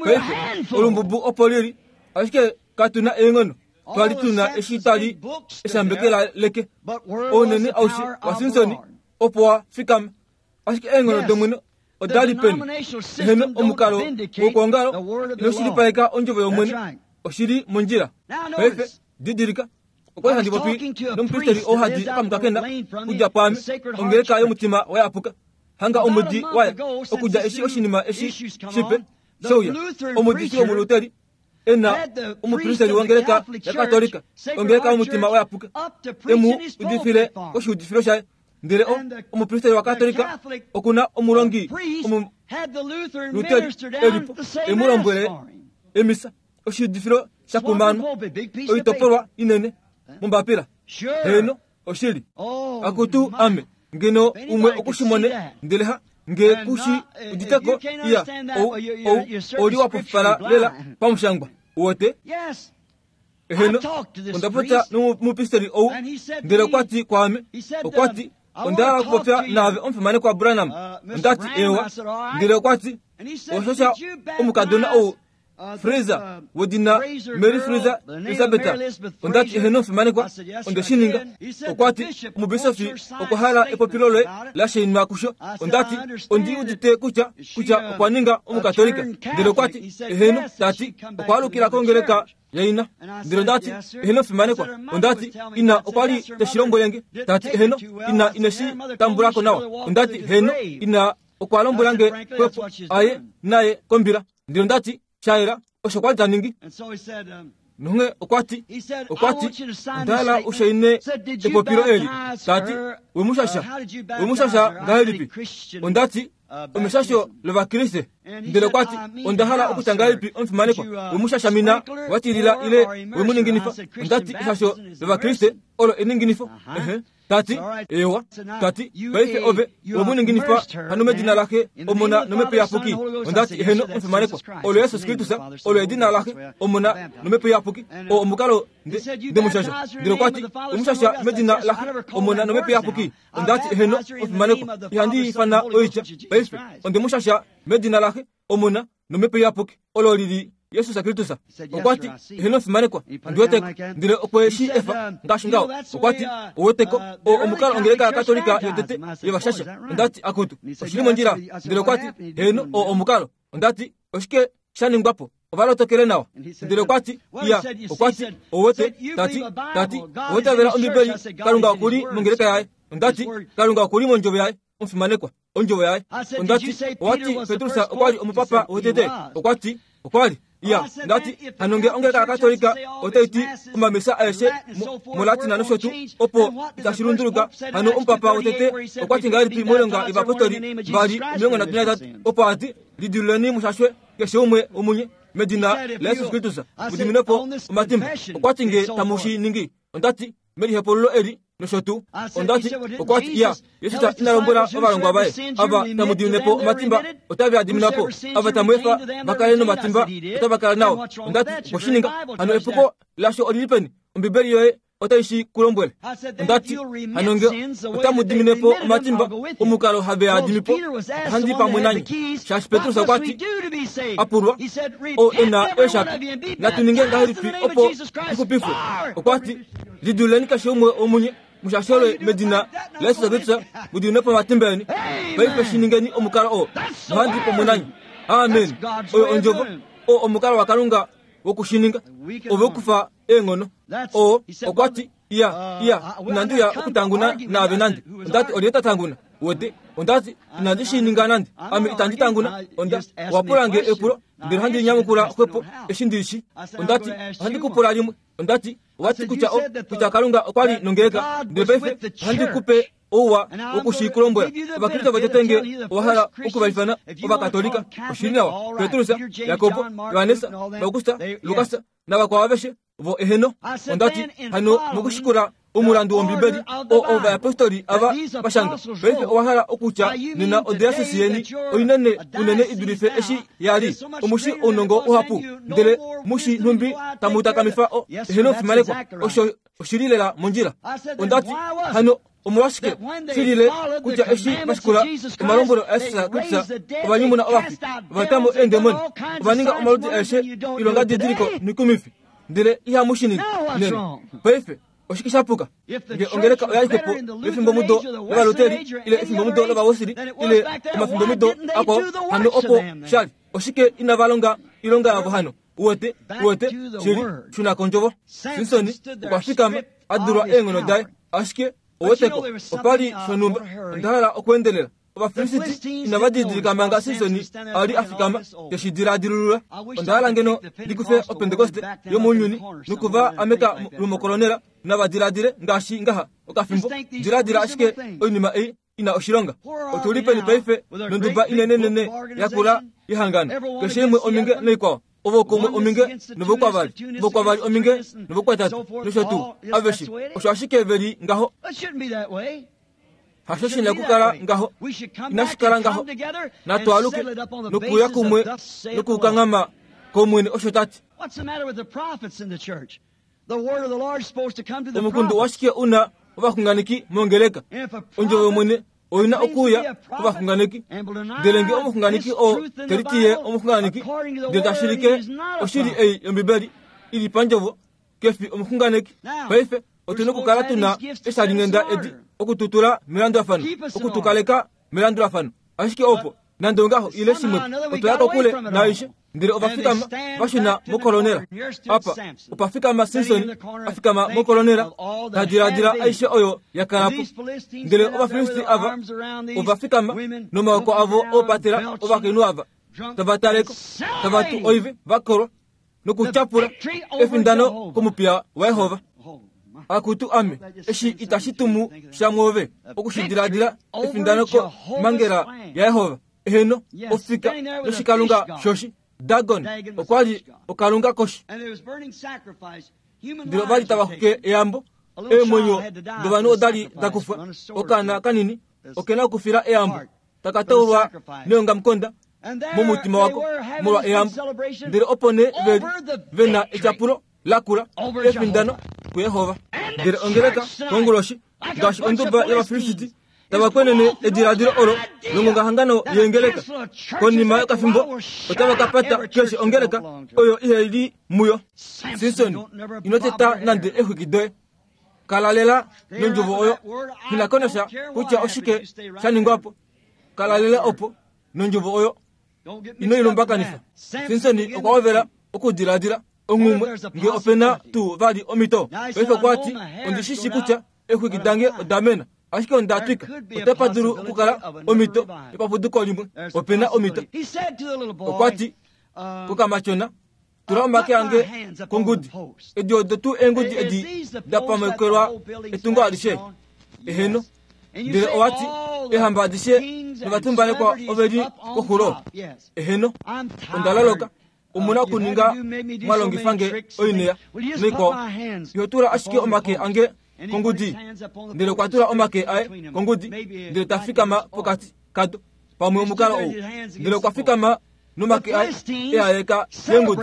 Speaker 1: Paife, olumbubu opo li li, ashike katu na eenghono twa li tu na eshi twa li eshambekela leke. Ounene aushe waSimson opo wa fikama, Ashike eenghono dOmwene oda li peni? Eheno, omukalo wokwoongalo ino shilipaleka ondjovo yOmwene. Oshi li mondjila. Paife, didilika, okwa li handi popi nomupristeri oo hadi okamukakena kudja pwaame, ongeleka yomutima wa yapuka. Hanga omwedi wa ya, okudja eshi oshinima eshi shipe sheuya, omuudifi wOmuluteri e na omupristeri wongeleka yaKatolika, ongeleka yomutima wa yapuka, e mu udifile koshiudifilo shaye. Ndele o, omupristeri waKatolika oku na omulongi Omuluteri e li po, e mu lombwele emisa, oshiudifilo sha kumanwa, oitopolwa inene mombapila. Heeno, oshili. Akutu, ame, ngeno umwe oku shi mone, ndele ha, nge ku shi udite ko, iya, ou, ou, ou li wa pofipala lela pamushangwa. Uwete? Eheno, onda popya nomupristeri ou, ndele okwa ti kwaame, okwa ti, Onda hala okupopya naave omufimanekwa Branham. Onda ti, Eewa. Ndele okwa ti, Oshosha omukadona ou Fraser wedina Mary Fraser Elizabeth. Onda ti, Eheno omufimanekwa, onde shi ninga. Okwa ti, Omubisofi okwa hala epopilo loye la shainwa kusho. Onda ti, Ondi udite kutya, kutya okwa ninga Omukatolika. Ndele okwa ti, Eheno, ta ti, okwa alukila kongeleka yaina. Ndele onda ti, Eheno omufimanekwa. Onda ti, Ina okwa li te shi lombwele nge. Ta ti, Eheno, ina ine shi tambula ko nawa. Onda ti, Heno, ina okwa lombwela nge xwepo aye naye kombila. Ndele onda ti, Sha yela, osho kwa li ta ningi. Nonghee okwa ti, okwa ti, Onda hala u shaine epopilo eli. Ta ti, We mu shasha? We mu shasha ngahelipi? Onda ti, Omeshasho lOvakriste. Ndele okwa ti, Onda hala okutya ngahelipi omufimanekwa? We mu shashamina, wa tilila ile we mu ninginifa? Onda ti, Eshasho lOvakriste olo eninginifo. Ehe. Ta ti, Eewa. Ta ti, Paife ove we mu ninginifa hano medina laXe, Omona nOmhepo Iyapuki? Onda ti, Eheno, omufimanekwa. Olo Jesus Kristus, olo edina laXe, Omona nOmhepo Iyapuki. Oo omukalo nde, nde mu shasha. Ndele okwa ti, We mu shasha medina laXe, Omona nOmhepo Iyapuki? Onda ti, Eheno, omufimanekwa. Ihandi ifana oitya. Paife, onde mu shasha medina laXe, Omona nOmhepo Iyapuki, olo li li Jesus Kristus. Okwa ti, Eheno, omufimanekwa, ondi wete ko. Ndele okwe shi efa ngaashi ngaho. Okwa ti, Ou wete ko, oo omukalo ongeleka yaKatolika yotete yevashasha. Onda ti, Akutu, oshi li mondjila. Ndele okwa ti, Heeno, oo omukalo. Onda ti, Oshike sha ningwa po? Ova lotokele nawa. Ndele okwa ti, Iya, okwa ti, ou wete, ta ti, ta ti, owa itavela Ombibeli, Kalunga oku li mongeleka yaye. Onda ti, Kalunga oku li mondjovo yaye, omufimanekwa, ondjovo yaye. Onda ti, Owa ti Petrus okwa li omupapa wotete? Okwa ti, Okwa li. Iya, onda ti, hano nge ongeleka yaKatolika otai ti omamisa aeshe moLatina nosho tuu, opo itashi lunduluka, hano omupapa wotete okwa ti ngahelipi mOilonga yOvapostoli 2:38, opo a ti, Lidiluleni mushashwe keshe umwe womunye medina laJesus Kristus mu diminwe po omatimba. Okwa ti nge tamu shi ningi, onda ti, melihepululo eli. nosho tuu. Onda ti, okwa ti, Iya, Jesus ina lombwela ovalongwa vaye, Ava tamu dimine po omatimba, otave a diminwa po. Ava tamu efa va kale nomatimba, otava kala nao. Onda ti, Okwe shi ninga. Hano epuko lasho oli li peni? Ombibeli yoye otai shi ku lombwele. Onda ti, Hano nge otamu dimine po omatimba, omukalo have a dimi po, ohandi pamwe nanye. Shaashi Petrus okwa ti, a pulwa, oo e na eeshapi, natu ninge ngahelipi opo tu xupifwe? Okwa ti, Lidululeni keshe umwe womunye, mushashelwe medina laJesus Kristus, mu diminwe po omatimba eni. Paife shi ningeni omukalo oo, nohandi pamwe nanye. Amen. Oyo ondjovo, oo omukalo waKalunga woku shi ninga. Ove kufa eenghono. Oo okwa ti, Iya, iya, inandi uya okutanguna naave nande. Onda ti, Olyelye ta tanguna? Wete? Onda ti, Inandi shi ninga nande. Ame itandi tanguna. Onda, owa pula nge epulo, ndele ohandi li nyamukula xwepo eshi ndi li shi. Onda ti, Ohandi ku pula limwe. Onda ti, Owa ti kutya o, kutya Kalunga okwa li nongeleka. Ndele paife ohandi ku pe ouwa woku shi ku lombwela. Ovakriste votete nge owa hala oku va ifana Ovakatolika, oshi li nawa. Petrus, Jakob, Johannes, Augusta, Lukas navakwao aveshe vo eheno. Onda ti, Hano mokushikula omulandu wOmbibeli oo ovayapostoli ava va shanga, paife owa hala okutya nena odiasisi yeni oinene unene i dulife eshi ya li? Omu shi ounongo uhapu, ndele mu shi nhumbi tamu takamifa o ehenofimanekwa. Osho oshi li lela mondjila. Onda ti, Hano omolwashike shi lile kutya eshi va shikula omalombwelo aJesus Kristus ova nyumuna ovafi, ova ta mo eendemoni, ova ninga omaludi aeshe oilongadidiliko noikumifi, ndele ihamu shi ningi nena? Paife oshike sha puka? Nge ongeleka oya li xwepo yefimbomudo lOvaluteri ile efimbomudo lOvawesili ile omafimbomido akwao, hano opo sha li. Oshike inava longa oilonga yavo hano? Uwete, uwete, shili, shuna kondjovo. Simson okwa fikama, a dulwa eenghono daye. Ashike, uweteko, opa li shonhumba. Onda hala okuendelela. Ovafilisiti inava didilika manga Simson a li a fikama, te shi diladilulula. Onda hala ngeno ndi kufe Opentekoste yomounyuni noku va ameka lumokolonela, nava diladile ngaashi ngaha okafimbo. Diladila ashike oinima ei i na oshilonga. Otu li peni paife nonduba inenenene yakula yehangano, keshe imwe ominge noikwao, ovo kumwe ominge novokwavali, vokwavali ominge novokwatatu, nosho tuu, aveshe. Osho ashike ve li ngaho. Hasho shi na okukala ngaho. Inashi kala ngaho. Natu aluke nokuuya kumwe nokukanghama kOmwene, osho ta ti. Omukundu washike u na ovaxunganeki mongeleka? Ondjovo yOmwene oi na okuuya kovaxunganeki. Ndele nge omuxunganeki oo te liti ye omuxunganeki, ndele ta shilike oshili ei yOmbibeli i li pandjovo, ke fi omuxunganeki. Paife otu nokukala tu na eshalinghenda edi oku tu tula melandulafano, oku tu kaleka melandulafano. Ashike opo, nande ongaho, ile shimwe, otwa ya kokule naaishe. Ndele ova fikama va shuna mokolonela. Apa opa fikama Simson a fikama mokolonela, ta diladila aishe oyo ya kala po. Ndele Ovafilisti ava ova fikama nomaoko avo oopatela ovakainhu ava, tava taleko, tava tu oive, va kolwa, nokutyapula efindano komupiya waYehova. Akutu ame, eshi itashi tumu sha mwoove oku shi diladila efindano komhangela yaYehova. Eheno, ofika noshikalunga shoshi Dagon okwa li okalunga koshi. Ndele ova li tava xuke eyambo, eemwenyo dovanhu oda li da kufwa, okaana kanini oke na okufila eyambo, taka taulwa neongamukonda momutima wako molwa eyambo. Ndele opo nee ve li ve na etyapulo lakula efindano kuYehova. Ndele ongeleka konguloshi ngaashi onduba yOvafilisiti tava kwenene ediladilo olo longongahangano yeengeleka. Konima yokafimbo otava ka pata keshe ongeleka oyo ihe li muyo. Simson, ino teta nande exwiki doye. Kala lela nondjovo oyo. Nghi ko nasha kutya oshike sha ningwa po. Kala lela opo nondjovo oyo. Ino i lumbakanifa. Simson okwa hovela okudiladila onghumwe nge ope na tuu vali omhito. Paife okwa ti, Ondi shi shii kutya exwiki dange oda mena, ashike onda twika. Otapa dulu okukala omhito yopapuduko limwe. Ope na omhito. Okwa ti kokamatyona, Tula omake ange kongudi. Edi odo tuu eengudi edi da pamekelwa etungo alishe? Eheno. Ndele owa ti, Eehamba adishe novatumbalekwa ove li koxulo? Eheno. Onda loloka. Omu na okuninga mwa longifa nge oinheya noikwao. Iho tula ashike omake ange. kongudi ndele okwa tula omake aye kongudi ndele ta fikama pokati kado pamwe omukalo ou ndele okwa fikama nomake aye eaeka yengudi.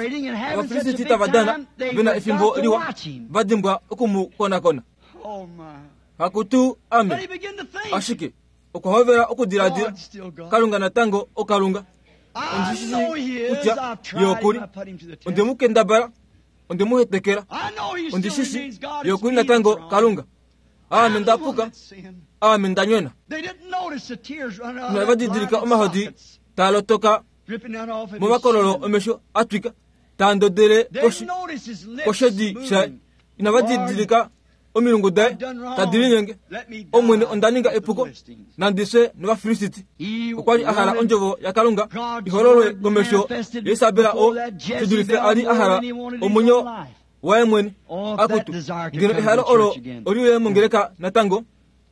Speaker 1: Ovafilisiti tava dana vena efimbo liwa va dimbwa oku mu konakona. Hakutu ame. Ashike okwa hovela okudiladila, Kalunga natango oKalunga. Ondi shi shii kutya Ye oku li. Onde mu kendabala, onde mu hetekela. Ondi shi shii Ye oku li natango Kalunga. Aame nda puka, aame nda nyona. Inava didilika omahodi taa lotoka momakololo omesho a twika, taa ndodele koshi koshedi shaye. Inava didilika omilungu daye tadi linyenge. Omwene, onda ninga epuko, nandi fye nOvafilisiti. Okwa li a hala ondjovo yaKalunga i hololwe komesho yaIsabela oo shi dulife a li a hala omwenyo waye mwene. Akutu, ngeno ehalo olo oli uye mongeleka natango.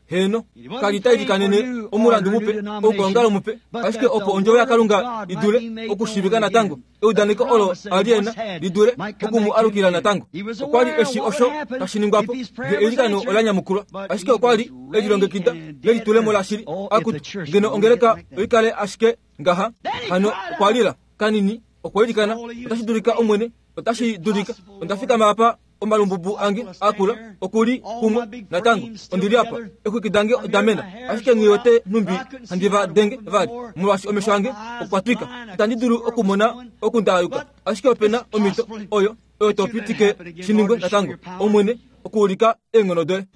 Speaker 1: Heeno, ka li ta ilikanene omulandu mupe, oukwaongalo mupe, ashike opo ondjovo yaKalunga i dule okushiivika natango, eudaneko olo a li e na li dule oku mu alukila natango. Okwa li e shii osho tashi ningwa po nge eilikano ola nyamukulwa, ashike okwa li e lilongekida nelitulemo lashili. Akutu, ngeno ongeleka oi kale ashike ngaha! Hano okwa lila kanini, okwa ilikana, Otashi dulika, Omwene, otashi dulika. Onda fikama apa Omalumbubu ange a kula oku li kumwe natango. Ondi li apa, exwiki dange oda mena, ashike nghi wete nhumbi handi va denge vali, molwaashi omesho ange okwa twika. Itandi dulu okumona oku nda yuka, ashike ope na omhito oyo, oyo to pitike shi ningwe natango, Omwene, okuulika eenghono doye.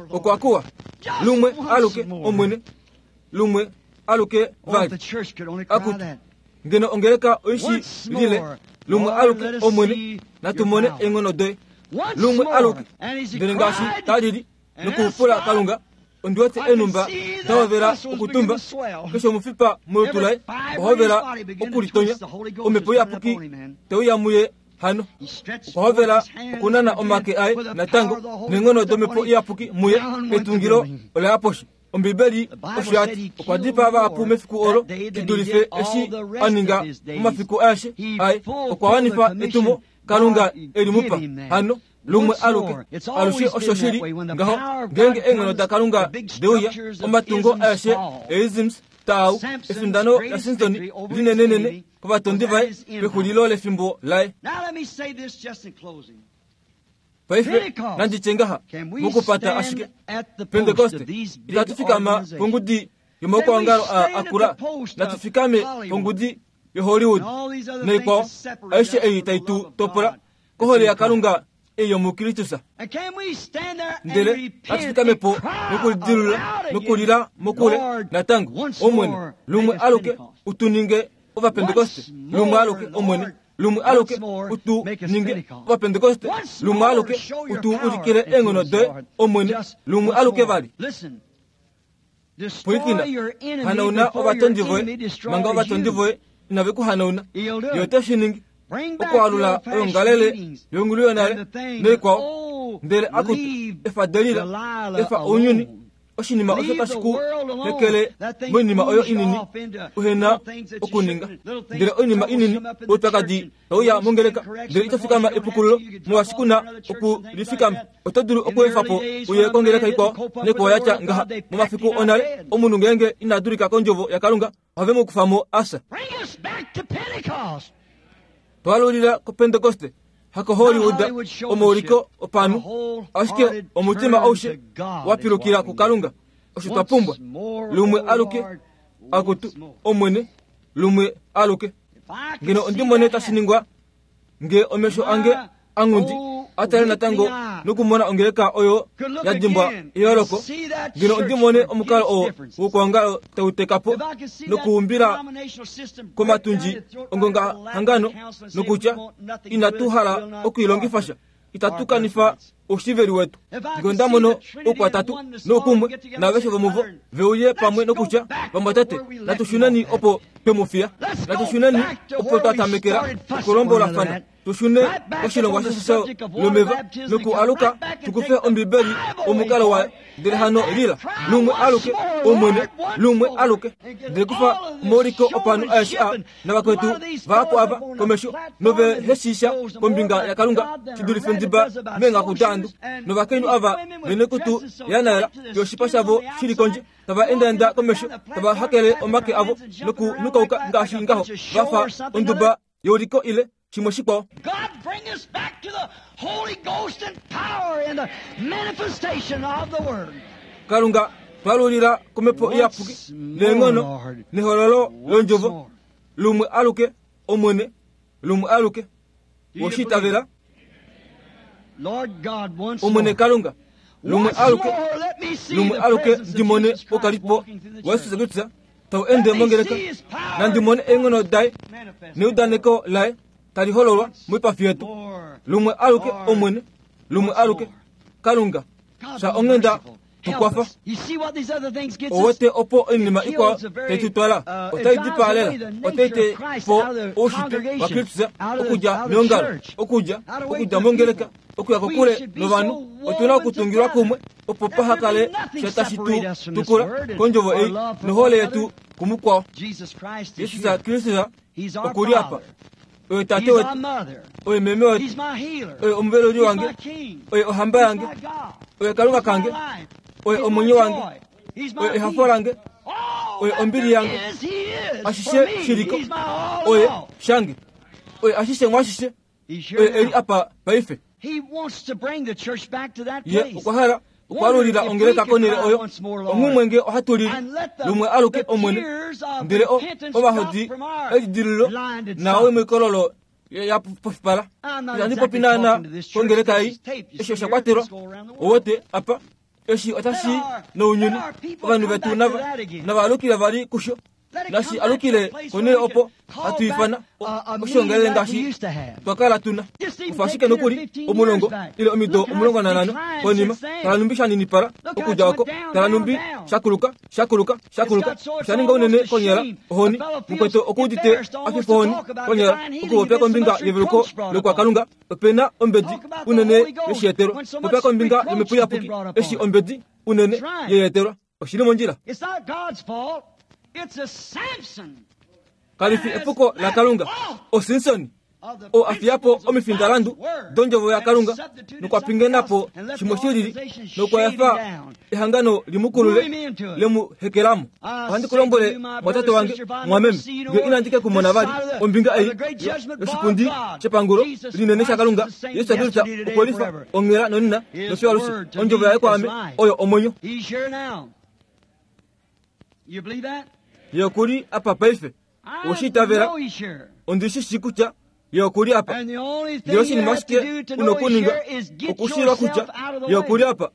Speaker 1: Okwa kuwa, Lumwe aluke, Omwene, lumwe aluke vali. Akutu, ngeno ongeleka oi shi lile, lumwe aluke, Omwene, natu mone eenghono doye. Lumwe aluke. Ndele ngaashi ta lili nokupula Kalunga, ondi wete eenhumba da hovela okutumba, keshe omufipa molutu laye owa hovela okulitonya, Omhepo Iyapuki te uya muye hano. Okwa hovela okunana omake aye natango, neenghono dOmhepo Iyapuki muye, etungilo ola ya poshi. Ombibeli osho ya ti, Okwa dipaa vahapu mefiku olo shi dulife eshi a ninga momafiku aeshe aye. Okwa wanifa etumo Kalunga e li mu pa. Hano, lumwe aluke, alushe osho shi li ngaho ngeenge eenghono daKalunga de uya, omatungo aeshe eisms taau, efindano laSimson linenenene kovatondi vaye pexulilo lefimbo laye. Paife nandi tye ngaha, mokupata ashike, Pentekoste, itatu fikama pongudi yomaukwaongalo aa akula, natu fikame pongudi yoHollywood naikwao, aishe ei tai tu topola kohole yaKalunga ei yomuKristus. Ndele natu fikame po nokulidilulula nokulila mokule natango, Omwene, lumwe aluke u tu ninge Ovapentekoste, lumwe aluke, Omwene, lumwe aluke u tu ninge Ovapentekoste, lumwe aluke u tu ulikile eenghono doye, Omwene, lumwe aluke vali. Pwilikina, hanauna ovatondi voye manga ovatondi voye inave ku hanauna. Ye ote shi ningi okwaalula oyoongalele yongulu yonale noikwao, ndele akutu efa Delila, efa ounyuni Oshinima osho tashi ku hekele moinima oyo inini uhe na okuninga. Ndele oinima inini, oupyakadi tau ya mongeleka, ndele ito fikama epukululo, molwaashi ku na oku li fikama. Oto dulu okuefa po uye kongeleka ikwao nekwao ya tya ngaha. Momafiku onale, omunhu ngeenge ina dulika kOndjovo yaKalunga, ohave mu kufa mo a fya. Twalulila kOpentekoste, hakoHollywood, omauliko opanhu, ashike omutima aushe wa pilukila kuKalunga. Osho twa pumbwa. Lumwe aluke, akutu, Omwene, lumwe aluke. Ngeno ondi mone tashi ningwa, nge omesho ange anghundi a tale natango nokumona ongeleka oyo ya dimbwa eyooloko, ngeno ondi mone omukalo oo wokwoongalo tau teka po nokuumbila komatundji ongongahangano nokutya inatu hala okwiilongifa sha, itatu kanifa oushiveli wetu. Nge onda mono oukwatatu noukumwe naaveshe vomuvo ve uye pamwe nokutya, Vamwatate, natu shuneni opo twe mu fiya. Natu shuneni opo twa tamekela okulombolafana. Tushune koshilongwa sheshasho lomeva nokualuka tukufe Ombibeli omukalo wayo. Ndele hano lila lumwe aluke Omwene, lumwe aluke. Ndele kufa omauliko opanhu aeshe aa navakwetu vahapu ava komesho nove heshisha kombinga yaKalunga shi dulife ndiba meenghaku daandu. Novakainhu ava venekutu yanaela yoshipa shavo shi li kondje tava endaenda komesho tava hakele omake avo nokunukauka ngaashi ngaho va fa onduba youliko ile shimwe shikwao.
Speaker 2: God bring us back to the Holy Ghost and power and the manifestation of the Word.
Speaker 1: Kalunga twalulila komhepo iyapuki neenghono nehololo londjovo lumwe aluke Omwene, lumwe aluke. Oshi itavela?
Speaker 2: Lord God, once
Speaker 1: Omwene
Speaker 2: more.
Speaker 1: Kalunga, lumwe
Speaker 2: Once
Speaker 1: aluke,
Speaker 2: more, let me see
Speaker 1: lumwe
Speaker 2: the
Speaker 1: aluke
Speaker 2: presence of
Speaker 1: ndimone
Speaker 2: Jesus Christ
Speaker 1: okalipo
Speaker 2: walking through the
Speaker 1: wa Yesus
Speaker 2: church.
Speaker 1: Kristus tau ende mongeleka nandimone eenghono daye
Speaker 2: Manifest.
Speaker 1: neudaneko laye tali hololwa moipafi yetu.
Speaker 2: More.
Speaker 1: Lumwe aluke Omwene, lumwe aluke Kalunga
Speaker 2: God
Speaker 1: sha
Speaker 2: be
Speaker 1: onghenda
Speaker 2: merciful. Help
Speaker 1: tukwafa.
Speaker 2: us. You see what these other things gets us?
Speaker 1: Owete opo oinima ikwao tai tu twala otai dipaalela otai te po oushitwe waKristus okudja meongalo okudja okudja mongeleka okuya kokule novanhu. Otuna okutungilwa kumwe opo paha kale sha tashi tu tukula kondjovo ei nohole yetu kumukwao.
Speaker 2: Jesus Christ is
Speaker 1: Yesus
Speaker 2: here.
Speaker 1: Kristus
Speaker 2: He's our
Speaker 1: okuli apa,
Speaker 2: Father.
Speaker 1: oye tate
Speaker 2: He's our
Speaker 1: wetu,
Speaker 2: mother.
Speaker 1: oye meme wetu,
Speaker 2: He's my healer.
Speaker 1: oye omuveluli
Speaker 2: He's
Speaker 1: wange,
Speaker 2: my king.
Speaker 1: oye ohamba
Speaker 2: He's
Speaker 1: yange,
Speaker 2: my God.
Speaker 1: oye Kalunga
Speaker 2: He's my
Speaker 1: kange,
Speaker 2: life.
Speaker 1: oye
Speaker 2: He's my
Speaker 1: omwenyo wange,
Speaker 2: joy. He's my
Speaker 1: oye ehafo
Speaker 2: peace.
Speaker 1: lange,
Speaker 2: All
Speaker 1: oye
Speaker 2: that
Speaker 1: ombili
Speaker 2: there
Speaker 1: yange,
Speaker 2: is, he is. For
Speaker 1: ashishe
Speaker 2: me,
Speaker 1: shiliko,
Speaker 2: he's my all in
Speaker 1: oye
Speaker 2: all.
Speaker 1: shange, oye ashishe mwashishe,
Speaker 2: He's here
Speaker 1: oye eli
Speaker 2: now.
Speaker 1: apa paife.
Speaker 2: He wants to bring the church back to that
Speaker 1: Ye
Speaker 2: place.
Speaker 1: okwa hala okwalulila ongeleka konele oyo onghumwe nge ohatu lili lumwe aluke Omwene, ndele ovahodi elidililo nawe moikololo ya pofipala. Itandi popi naana kongeleka ei, eshi osha kwatelwa owote apa, eshi otashi nounyuni. Ovanhu vetu nava alukile vali kusho, nashi alukile konele opo hatu ifana oshiongelele ngaashi twakala tuna. Kufa ashike nokuli omulongo ile omido 15 konima, tala numbi shaninipala okudja oko, tala numbi shakuluka shakuluka shakuluka shaninga unene konyala ohoni mukweto okuudite afifa ohoni konyala okupopya kombinga yeveluko lokwakalunga. Opena ombedi unene yoshiyetelwa popya kombinga yomhepo iyapuki eshi ombedi unene yeyetelwa. Oshili mondjila.
Speaker 2: It's not God's fault. It's a Samson
Speaker 1: Kalifi epuko laKalunga, oSimson
Speaker 2: of the
Speaker 1: o afiyapo
Speaker 2: principles of
Speaker 1: omifindalandu
Speaker 2: God's word
Speaker 1: dondjovo yaKalunga
Speaker 2: and substituted
Speaker 1: nokwa pingenapo
Speaker 2: something else and let
Speaker 1: shimwe
Speaker 2: the
Speaker 1: shilili
Speaker 2: organization
Speaker 1: nokwa
Speaker 2: shade
Speaker 1: efa
Speaker 2: him down.
Speaker 1: ehangano limukulule
Speaker 2: Move him into it.
Speaker 1: lemuhekelamo.
Speaker 2: I
Speaker 1: Ohandi
Speaker 2: say
Speaker 1: ku lombwele
Speaker 2: to you, my
Speaker 1: mwatate
Speaker 2: brother,
Speaker 1: wange
Speaker 2: sister, if I never
Speaker 1: mwameme,
Speaker 2: see you no
Speaker 1: nge
Speaker 2: more,
Speaker 1: inandike kumona
Speaker 2: this
Speaker 1: vali
Speaker 2: side of the-
Speaker 1: ombinga
Speaker 2: of
Speaker 1: ei
Speaker 2: the great judgment bar of
Speaker 1: yoshipundi
Speaker 2: God,
Speaker 1: shepangulo
Speaker 2: Jesus
Speaker 1: linene
Speaker 2: Christ
Speaker 1: shaKalunga,
Speaker 2: is the same
Speaker 1: Yesu Kristus
Speaker 2: yesterday, today, and
Speaker 1: okolifa
Speaker 2: forever.
Speaker 1: onghela nonena
Speaker 2: His
Speaker 1: nosho alushe.
Speaker 2: word to
Speaker 1: Ondjovo
Speaker 2: me
Speaker 1: yaye
Speaker 2: is
Speaker 1: kwaame
Speaker 2: life.
Speaker 1: oyo omwenyo.
Speaker 2: He's here now. You believe that?
Speaker 1: Ye okuli apa paife.
Speaker 2: I
Speaker 1: Oshi itavela?
Speaker 2: know he's here.
Speaker 1: Ondishi shi kutya ye okuli apa.
Speaker 2: And the only thing
Speaker 1: Ndele
Speaker 2: you
Speaker 1: oshinima
Speaker 2: have to
Speaker 1: ashike
Speaker 2: do to
Speaker 1: una
Speaker 2: know he's
Speaker 1: okuninga
Speaker 2: here is get
Speaker 1: okushilwa
Speaker 2: yourself
Speaker 1: kutya
Speaker 2: out of the
Speaker 1: ye okuli
Speaker 2: way.
Speaker 1: apa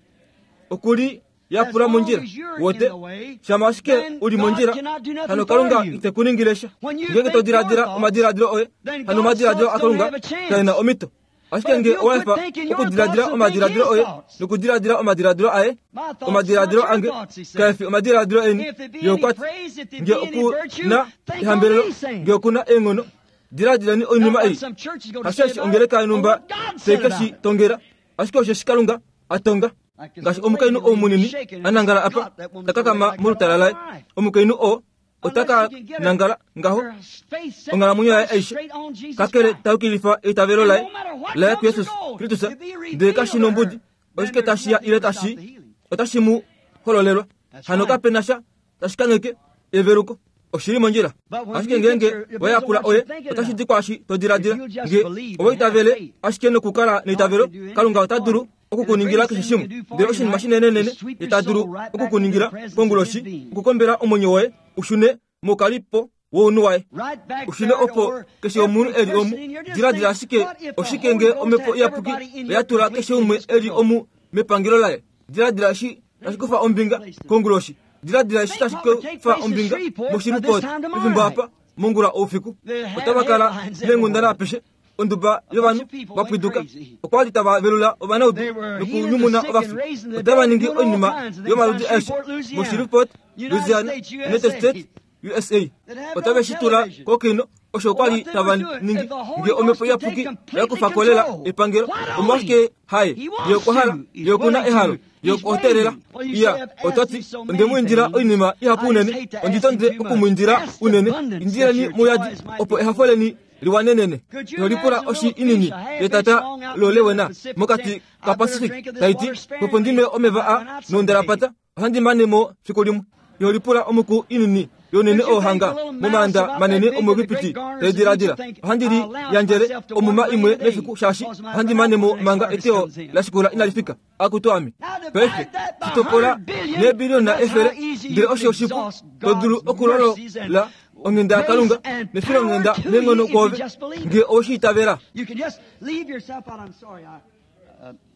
Speaker 1: okuli yapula
Speaker 2: As long
Speaker 1: mondjila
Speaker 2: as you're in
Speaker 1: wote
Speaker 2: the way,
Speaker 1: shama ashike
Speaker 2: then
Speaker 1: uli
Speaker 2: God
Speaker 1: mondjila
Speaker 2: cannot do nothing
Speaker 1: hano
Speaker 2: for
Speaker 1: Kalunga
Speaker 2: you.
Speaker 1: ite kuningile sha.
Speaker 2: When you
Speaker 1: Ngenge
Speaker 2: think
Speaker 1: to diladila
Speaker 2: your thoughts,
Speaker 1: omadiladilo oye
Speaker 2: then
Speaker 1: hano
Speaker 2: God's
Speaker 1: omadiladilo
Speaker 2: thoughts don't
Speaker 1: aKalunga
Speaker 2: have a chance.
Speaker 1: kaena omito. Ashike
Speaker 2: But if
Speaker 1: nge
Speaker 2: you quit
Speaker 1: owaefa
Speaker 2: thinking your
Speaker 1: okudiladila
Speaker 2: thoughts and
Speaker 1: omadiladilo
Speaker 2: think
Speaker 1: oye
Speaker 2: his thoughts.
Speaker 1: nokudiladila omadiladilo aye
Speaker 2: My thoughts
Speaker 1: omadiladilo
Speaker 2: not your
Speaker 1: ange
Speaker 2: thoughts, he said.
Speaker 1: kaefi omadiladilo eni
Speaker 2: If there be
Speaker 1: ye
Speaker 2: any
Speaker 1: okwati
Speaker 2: praise, if there
Speaker 1: nge
Speaker 2: be any virtue,
Speaker 1: okuna
Speaker 2: think on
Speaker 1: ehambelelo
Speaker 2: these things.
Speaker 1: nge okuna eenghono diladileni oinima
Speaker 2: Not what
Speaker 1: ei.
Speaker 2: some church is going to say
Speaker 1: Hasheshi
Speaker 2: about
Speaker 1: ongeleka
Speaker 2: it, but
Speaker 1: yonhumba
Speaker 2: what God said
Speaker 1: teikeshi
Speaker 2: about it.
Speaker 1: tongela ashike osheshi Kalunga atonga.
Speaker 2: Like this
Speaker 1: Ngaashi
Speaker 2: little
Speaker 1: omukainhu
Speaker 2: lady
Speaker 1: ou munini
Speaker 2: shaking and
Speaker 1: anangala apa
Speaker 2: God, that woman's
Speaker 1: takakama
Speaker 2: gonna like that
Speaker 1: molutala
Speaker 2: all
Speaker 1: laye
Speaker 2: her life.
Speaker 1: omukainhu oo otaka
Speaker 2: Unless you can get her-
Speaker 1: nangala ngaho
Speaker 2: her faith set
Speaker 1: onghalamwenyo yaye aishe
Speaker 2: straight on Jesus
Speaker 1: kakele
Speaker 2: Christ.
Speaker 1: tayukilifa eitavelo laye
Speaker 2: And no matter what
Speaker 1: laye
Speaker 2: comes
Speaker 1: kuYesus
Speaker 2: or goes,
Speaker 1: Kristus
Speaker 2: if he revealed
Speaker 1: ndele kashi nombudi
Speaker 2: to her,
Speaker 1: oshike
Speaker 2: then there's
Speaker 1: tashiya ile
Speaker 2: nothing to stop
Speaker 1: tashi
Speaker 2: the healing.
Speaker 1: otashi mu hololelwa
Speaker 2: That's
Speaker 1: hano
Speaker 2: right.
Speaker 1: kapena sha tashi kangheke eveluko. Oshili mondjila.
Speaker 2: But when
Speaker 1: Ashike
Speaker 2: you get
Speaker 1: ngeenge
Speaker 2: your- it
Speaker 1: wayakula
Speaker 2: depends on what
Speaker 1: oye
Speaker 2: you're thinking
Speaker 1: otashi
Speaker 2: about.
Speaker 1: di kwaashi to diladila
Speaker 2: If you just
Speaker 1: nge
Speaker 2: believe
Speaker 1: owa
Speaker 2: and have
Speaker 1: itavele
Speaker 2: faith,
Speaker 1: ashike nokukala neitavelo
Speaker 2: God can do
Speaker 1: Kalunga ota
Speaker 2: anything
Speaker 1: dulu
Speaker 2: for you.
Speaker 1: okukuningila
Speaker 2: And the
Speaker 1: keshe
Speaker 2: greatest
Speaker 1: shimwe.
Speaker 2: thing he can do for
Speaker 1: Ndele
Speaker 2: you
Speaker 1: oshinima
Speaker 2: tonight
Speaker 1: shinenenene
Speaker 2: is sweep your
Speaker 1: ita dulu
Speaker 2: soul right back into the
Speaker 1: okukuningila
Speaker 2: presence of
Speaker 1: konguloshi
Speaker 2: his being.
Speaker 1: okukombela omwenyo woye ushune mokalipo wounhu waye.
Speaker 2: Right back
Speaker 1: Ushune
Speaker 2: there to
Speaker 1: opo
Speaker 2: where
Speaker 1: keshe omunhu
Speaker 2: every
Speaker 1: eli omu
Speaker 2: person in here, just
Speaker 1: diladila
Speaker 2: think,
Speaker 1: ashike
Speaker 2: what if the
Speaker 1: oshike
Speaker 2: Holy
Speaker 1: nge
Speaker 2: Ghost
Speaker 1: omhepo
Speaker 2: had
Speaker 1: iyapuki
Speaker 2: everybody in
Speaker 1: oya
Speaker 2: here
Speaker 1: tula keshe
Speaker 2: completely
Speaker 1: umwe
Speaker 2: in his
Speaker 1: eli
Speaker 2: control?
Speaker 1: omu mepangelo laye. Diladila eshi tashi kufa ombinga konguloshi. Diladila eshi
Speaker 2: Think
Speaker 1: tashi
Speaker 2: what would take
Speaker 1: kufa
Speaker 2: place in
Speaker 1: ombinga
Speaker 2: Shreveport by
Speaker 1: moShreveport
Speaker 2: this time tomorrow
Speaker 1: pefimbo
Speaker 2: night.
Speaker 1: apa mongula oufiku.
Speaker 2: They'd have
Speaker 1: Otava kala
Speaker 2: headlines
Speaker 1: neenghundana
Speaker 2: everywhere.
Speaker 1: apeshe onduba
Speaker 2: A bunch
Speaker 1: yovanhu
Speaker 2: of people
Speaker 1: va
Speaker 2: went
Speaker 1: pwiduka
Speaker 2: crazy.
Speaker 1: okwa li tava velula ovanaudu
Speaker 2: They were healing the
Speaker 1: nokunyumuna
Speaker 2: sick
Speaker 1: ovafi.
Speaker 2: and raising the
Speaker 1: Otava
Speaker 2: dead,
Speaker 1: ningi
Speaker 2: doing all
Speaker 1: oinima
Speaker 2: kinds of things
Speaker 1: yomaludi
Speaker 2: down
Speaker 1: aeshe
Speaker 2: Shreveport, Louisiana,
Speaker 1: moShreveport,
Speaker 2: United
Speaker 1: Louisiana,
Speaker 2: States,
Speaker 1: United
Speaker 2: USA.
Speaker 1: States, USA.
Speaker 2: That have
Speaker 1: Otave
Speaker 2: no
Speaker 1: shi tula
Speaker 2: television.
Speaker 1: kokino Osho okwa li tava ningi nge omhepo iyapuki ya kufa ko lela epangelo. Omolwashike haye? Ye okwa hala, ye oku na ehalo, ye okwa teelela. Iya, ota ti, Onde mu indila oinima ihapu unene, ondi tonde oku mu indila unene. Indileni muyadi, opo ehafo leni liwanenene. Nolipula oshi inini yetata lolewena mokati kaPacific, tai ti, Opo ndi nwe omeva a nondalapata, Ohandi mane mo fiku limwe. Iho lipula omuku inini younene oo hanga momaanda manene omuEgipiti tai diladila, Ohandi li yandjele omuma imwe mefiku shaashi ohandi mane mo manga eteyo la shikula inali fika. Akutu ame! Paife, shi topola neebiliona efele, ndele osho oshipu to dulu okulolola onghenda yaKalunga nefilonghenda neenghono kwoove nge owe shi itavela.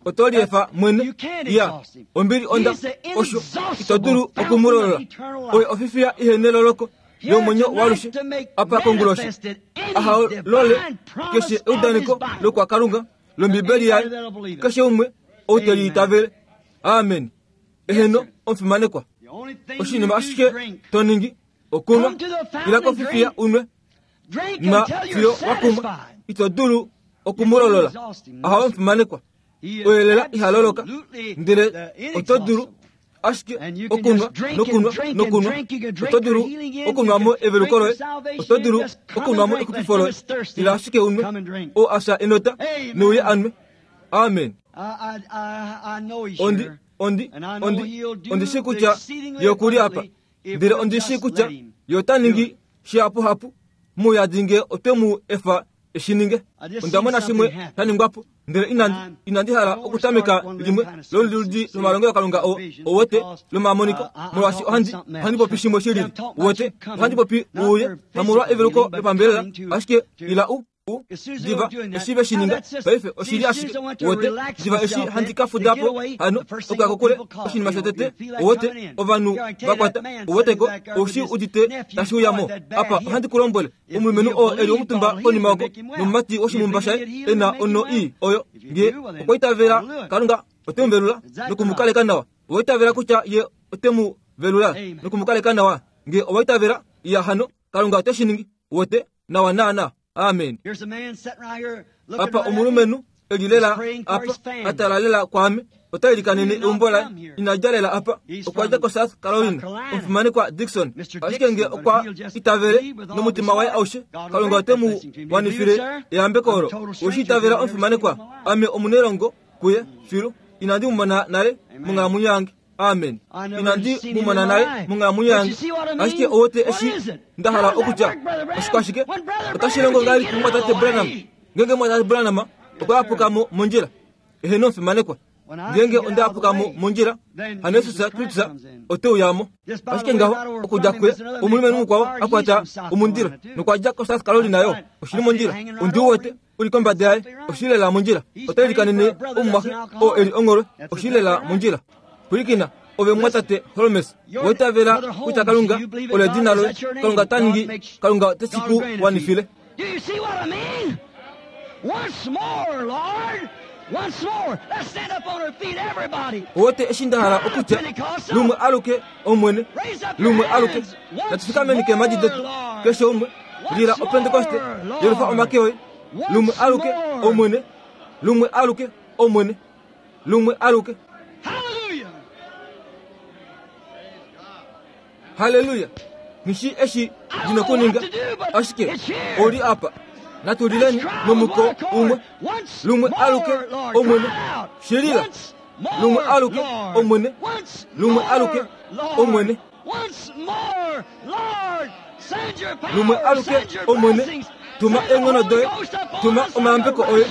Speaker 1: Oto liefa mwene. Ya, ombili onda osho ito dulu oku mu lolola. Oye ofifiya ihe neloloko yomwenyo walushe apa konguloshi. Aha lole keshe eudaneko lokwaKalunga lOmbibeli yaye, keshe umwe ou te li itavele. Amen. Eheno, omufimanekwa. Oshinima ashike to ningi okunwa, ila kofifiya unwe. Na fiyo wa kumwa, ito dulu oku mu lolola. Aha omufimanekwa. Oye lela iha loloka, ndele oto dulu ashike okunwa nokunwa nokunwa. Oto dulu okunwa mo eveluko loye, oto dulu okunwa mo exupifo loye. Ila ashike unwe, oo a fya enota, neuye a nwe. Amen. Ondi, ondi, ondi, ondi shii kutya ye oku li apa, ndele ondi shii kutya ye ota ningi shihapuhapu mouyadi nge otwe mu efa e shi ninge. Onda mona shimwe sha ningwa po, ndele inandi, inandi hala okutameka limwe loludi lomalongelokalunga oo, ouwete, lomamoniko, molwaashi ohandi, ohandi popi shimwe shi lili. Uwete, ohandi popi uuye, hamolwa eveluko lopambelela, ashike ila u, U, diva eshi ve shi ninga paife oshi li ashike wote diva eshi handi ka fuda po hano okuya kokule oshinima shotete wote ovanhu va kwata woteko oushi udite tashi uya mo apa ohandi ku lombwele omulumenhu oo e li omutumba konima oko nomumati woshimumba shaye e na ono ii oyo nge okwa itavela Kalunga ote mu velula noku mu kaleka nawa owa itavela kutya ye ote mu velula noku mu kaleka nawa nge owa itavela iya hano Kalunga ote shi ningi wote nawa naana. Amen. Apa omulumenhu e li lela apa, a tala lela kwaame, ota ilikanene eumbo laye. Ina dja lela apa, okwa dja koSouth Carolina, omufimanekwa Dixon. Ashike nge okwa itavele nomutima waye aushe, Kalunga ote mu wanifile eyambeko olo. Owe shi itavela, omufimanekwa? Ame omunelongo kuye, filu. Inandi mu mona nale monghalamwenyo yange. Amen. Inandi mu mona nale monghalamwenyo yange. Ashike owote eshi nda hala okutya. Oshikwashike? Otashi longo ngahelipi mumwatate Branham? Ngeenge mumwatate Branham okwa yapuka mo mondjila, eheno omufimanekwa. Ngeenge onda yapuka mo mondjila, hano Jesus Kristus ote uya mo. Ashike ngaho, okudja kuye, omulumenhu mukwao a kwata omundilo nokwa dja koSouth Carolina yo. Oshi li mondjila. Ondi wete. u li kombada yaye oshi lela mondjila. Ota ilikanene omumwaxe oo e li ongholwe oshi lela mondjila. Pwilikina, ove mumwatate Holmes, owa itavela kutya Kalunga olo edina loye? Kalunga ota ningi, Kalunga ote shi ku wanifile. Owote eshi nda hala okutya, lumwe aluke, Omwene, lumwe aluke. Natu fikameni keemhadi detu, keshe umwe. Lila Opentekoste, yelufa omake oye. Lumwe aluke, Omwene. Lumwe aluke, Omwene. Lumwe aluke. Halleluya! Nghi eshi ndi nokuninga, ashike oli apa. Natu lileni nomuko umwe. Lumwe aluke, Omwene. Shi lila. Lumwe aluke, Omwene. Lumwe aluke, Omwene. Lumwe aluke, Omwene, tuma eenghono doye, tuma omayambeko oye,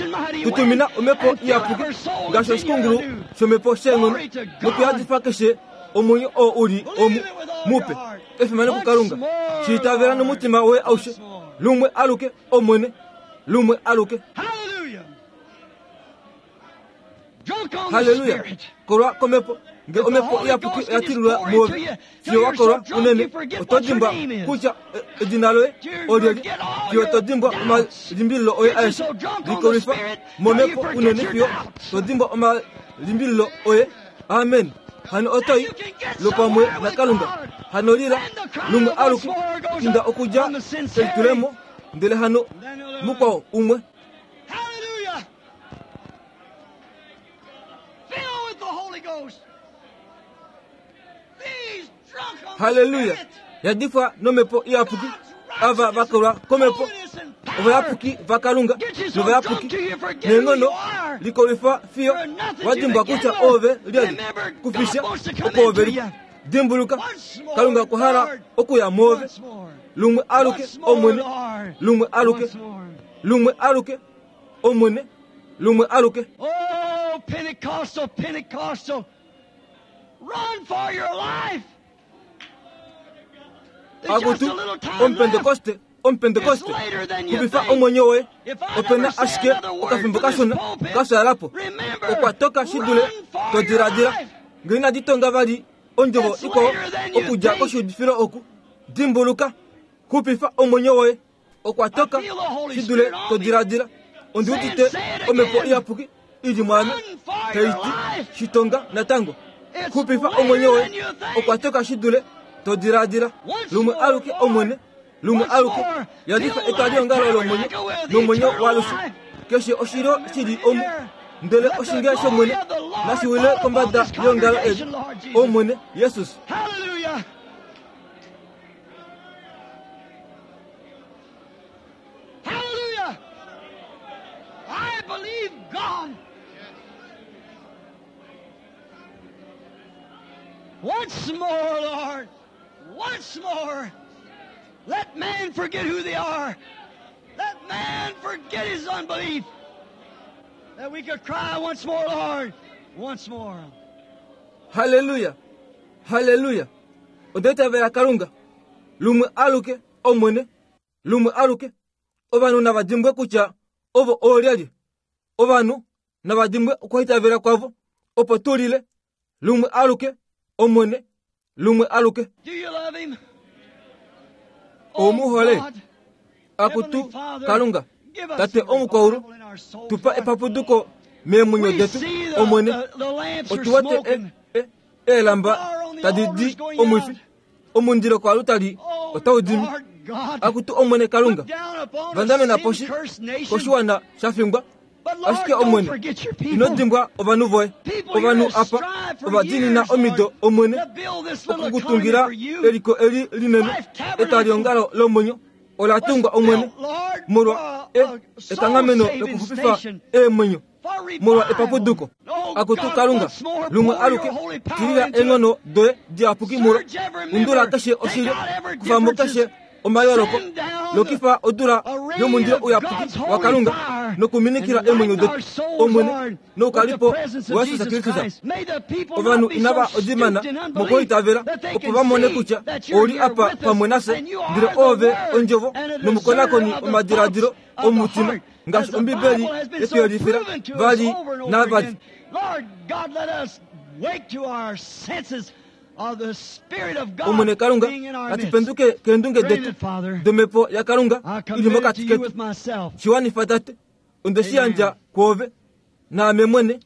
Speaker 1: tu tumina omhepo iyapuki ngaashi oshikungulu shomhepo sheenghono nokuyadifa keshe omwenyo oo u li omu mupe. Efimano kuKalunga. Shi itavela nomutima woye aushe. Lumwe aluke, Omwene, lumwe aluke. Halleluya! Kolwa komhepo. Nge omhepo iyapuki oya tililwa muove, fiyo wa kolwa unene, oto dimbwa kutya edina loye olyelye, fiyo to dimbwa omalimbililo oye aeshe. Likolwifa momhepo unene fiyo to dimbwa omalimbililo oye. Amen. Hano oto i lopamwe naKalunga. Hano lila lumwe aluke, inda okudja kelitulemo. Ndele hano mukwao umwe.
Speaker 2: Hallelujah! Filled with the Holy Ghost. These drunk on the
Speaker 1: Hallelujah.
Speaker 2: Spirit.
Speaker 1: Yadifwa nomhepo iyapuki ava vakolwa komhepo ovayapuki vakalunga novayapuki neenghono likolwifa fiyo wadimbwa kutya ove lyali kufisha opo ove li dimbuluka kalunga okwa hala okuya moove
Speaker 2: Once more.
Speaker 1: lumwe aluke
Speaker 2: Once more,
Speaker 1: omwene
Speaker 2: Lord.
Speaker 1: lumwe aluke
Speaker 2: Once more.
Speaker 1: lumwe aluke omwene lumwe aluke
Speaker 2: Oh, Pentecostal, Pentecostal, run for your life. There's just
Speaker 1: akutu
Speaker 2: a little time left.
Speaker 1: omupentekoste omupentekoste
Speaker 2: It's later than you
Speaker 1: kupifa
Speaker 2: think.
Speaker 1: omwenyo woye
Speaker 2: If I
Speaker 1: opena
Speaker 2: never say
Speaker 1: ashike
Speaker 2: another word
Speaker 1: okafimbo
Speaker 2: from this
Speaker 1: kashona
Speaker 2: pulpit,
Speaker 1: kashaalapo
Speaker 2: remember,
Speaker 1: okwa toka shidule
Speaker 2: run for your
Speaker 1: todiladila
Speaker 2: life.
Speaker 1: ngee inadi tonga vali ondjovo
Speaker 2: It's
Speaker 1: ikwao
Speaker 2: later than you
Speaker 1: okudja
Speaker 2: think.
Speaker 1: koshiudifilo oku dimbuluka kupifa omwenyo woye okwa toka
Speaker 2: I feel the Holy
Speaker 1: shidule
Speaker 2: Spirit on me.
Speaker 1: todiladila ondi udite
Speaker 2: Say it
Speaker 1: omhepo
Speaker 2: again.
Speaker 1: iyapuki ili mwaame
Speaker 2: Run for your
Speaker 1: taiti
Speaker 2: life.
Speaker 1: shitonga natango
Speaker 2: It's
Speaker 1: kupifa
Speaker 2: later
Speaker 1: omwenyo woye
Speaker 2: than you think.
Speaker 1: okwa toka shidule todiladila
Speaker 2: Once
Speaker 1: lumwe
Speaker 2: more,
Speaker 1: aluke
Speaker 2: Lord.
Speaker 1: omwene lumwe
Speaker 2: Once
Speaker 1: aluke
Speaker 2: more,
Speaker 1: yadifa
Speaker 2: fill
Speaker 1: etwali
Speaker 2: thy
Speaker 1: ongalo lomwenyo
Speaker 2: tabernacle with
Speaker 1: nomwenyo
Speaker 2: eternal
Speaker 1: walushe
Speaker 2: life.
Speaker 1: keshe oshilo shili omu ndele oshinge shomwene nashiwile kombada yongalo eli omwene yesus
Speaker 2: Hallelujah. Hallelujah. I believe God. Once more, Lord. Once more. Let man forget who they are. Let man forget his unbelief. That we could cry once more, Lord. Once more.
Speaker 1: haleluya haleluya ondeitavela kalunga lumwe aluke omwene lumwe aluke ovanhu nava dimbwe kutya ovo oolyalye ovanhu nava dimbwe okuhaitavela kwavo opo tulile lumwe aluke omwene lumwe aluke
Speaker 2: Do you love him?
Speaker 1: Omuhole.
Speaker 2: God,
Speaker 1: akutu
Speaker 2: Heavenly Father,
Speaker 1: kalunga
Speaker 2: give us
Speaker 1: tate
Speaker 2: a
Speaker 1: omukwaulu
Speaker 2: revival in our souls,
Speaker 1: tupa
Speaker 2: Lord.
Speaker 1: epapuduko meemwenyo
Speaker 2: We
Speaker 1: detu
Speaker 2: see
Speaker 1: omwene
Speaker 2: the lamps are
Speaker 1: otuwete
Speaker 2: smoking.
Speaker 1: eelamba tadi di omwifi omundilo kwalutali
Speaker 2: Oh,
Speaker 1: otau dimi
Speaker 2: Lord God,
Speaker 1: akutu omwene kalunga
Speaker 2: look down upon a
Speaker 1: vandamena poshi
Speaker 2: sin-cursed nation.
Speaker 1: koshiwana sha fingwa
Speaker 2: But Lord,
Speaker 1: ashike
Speaker 2: don't
Speaker 1: omwene
Speaker 2: forget your people.
Speaker 1: ino dimbwa ovanhu voye
Speaker 2: People here
Speaker 1: ovanhu
Speaker 2: have
Speaker 1: apa
Speaker 2: strived for
Speaker 1: ovadiinina
Speaker 2: years,
Speaker 1: omido
Speaker 2: Lord,
Speaker 1: omwene
Speaker 2: to build this little
Speaker 1: okukutungira
Speaker 2: economy for you.
Speaker 1: eliko eli linene
Speaker 2: Life Tabernacle
Speaker 1: etaliongalo lomwenyo ola
Speaker 2: was
Speaker 1: tungwa omwene
Speaker 2: built, Lord,
Speaker 1: molwa
Speaker 2: for a
Speaker 1: ekanghameno
Speaker 2: soul-saving
Speaker 1: lokuxupifa
Speaker 2: station.
Speaker 1: eemwenyo
Speaker 2: For revival.
Speaker 1: molwa epapuduko
Speaker 2: Oh,
Speaker 1: akutu
Speaker 2: God,
Speaker 1: kalunga
Speaker 2: once more,
Speaker 1: lumwe
Speaker 2: pour
Speaker 1: aluke
Speaker 2: your holy power
Speaker 1: tilila
Speaker 2: into it.
Speaker 1: eenghono doye diyapuki mulo
Speaker 2: Surge every member.
Speaker 1: undula keshe
Speaker 2: Take
Speaker 1: oshilyo
Speaker 2: out every
Speaker 1: kufamo
Speaker 2: differences.
Speaker 1: keshe omayooloko
Speaker 2: Send down
Speaker 1: lokifa odula
Speaker 2: a rain
Speaker 1: yomundilo
Speaker 2: of
Speaker 1: uyapuki
Speaker 2: God's holy
Speaker 1: wa kalunga
Speaker 2: fire
Speaker 1: nokuminikila
Speaker 2: and
Speaker 1: eemwenyo
Speaker 2: lighten
Speaker 1: detu
Speaker 2: our souls,
Speaker 1: omwene
Speaker 2: Lord, with the
Speaker 1: noukalipo
Speaker 2: presence of
Speaker 1: wa yesus
Speaker 2: Jesus
Speaker 1: kristus
Speaker 2: Christ. May the people
Speaker 1: ovanhu
Speaker 2: not be so
Speaker 1: inava odimana
Speaker 2: stooped in unbelief
Speaker 1: mokuitavela
Speaker 2: that they
Speaker 1: opo
Speaker 2: can
Speaker 1: va mone
Speaker 2: see
Speaker 1: kutya
Speaker 2: that you're
Speaker 1: oli
Speaker 2: here
Speaker 1: apa
Speaker 2: with us
Speaker 1: pamwe nafye
Speaker 2: and you are
Speaker 1: ndele
Speaker 2: the
Speaker 1: ove
Speaker 2: Word
Speaker 1: ondjovo
Speaker 2: and a
Speaker 1: nomukonakoni
Speaker 2: discerner of the
Speaker 1: omadiladilo
Speaker 2: thoughts of the
Speaker 1: omutima
Speaker 2: heart,
Speaker 1: ngaashi
Speaker 2: as the
Speaker 1: ombibeli
Speaker 2: Bible has been so
Speaker 1: yetuyelifila
Speaker 2: proven to us
Speaker 1: vali
Speaker 2: over and over
Speaker 1: navali
Speaker 2: again. Lord God, let us wake to our senses of the Spirit of God
Speaker 1: omwene kalunga
Speaker 2: being in our midst.
Speaker 1: atupenduke keendunge
Speaker 2: Grant
Speaker 1: detu
Speaker 2: it, Father.
Speaker 1: domhepo yakalunga
Speaker 2: I
Speaker 1: ili
Speaker 2: commit it to
Speaker 1: mokati
Speaker 2: you
Speaker 1: ketu
Speaker 2: with myself.
Speaker 1: shiwanifa tate onde shi yandja kwoove naame mwene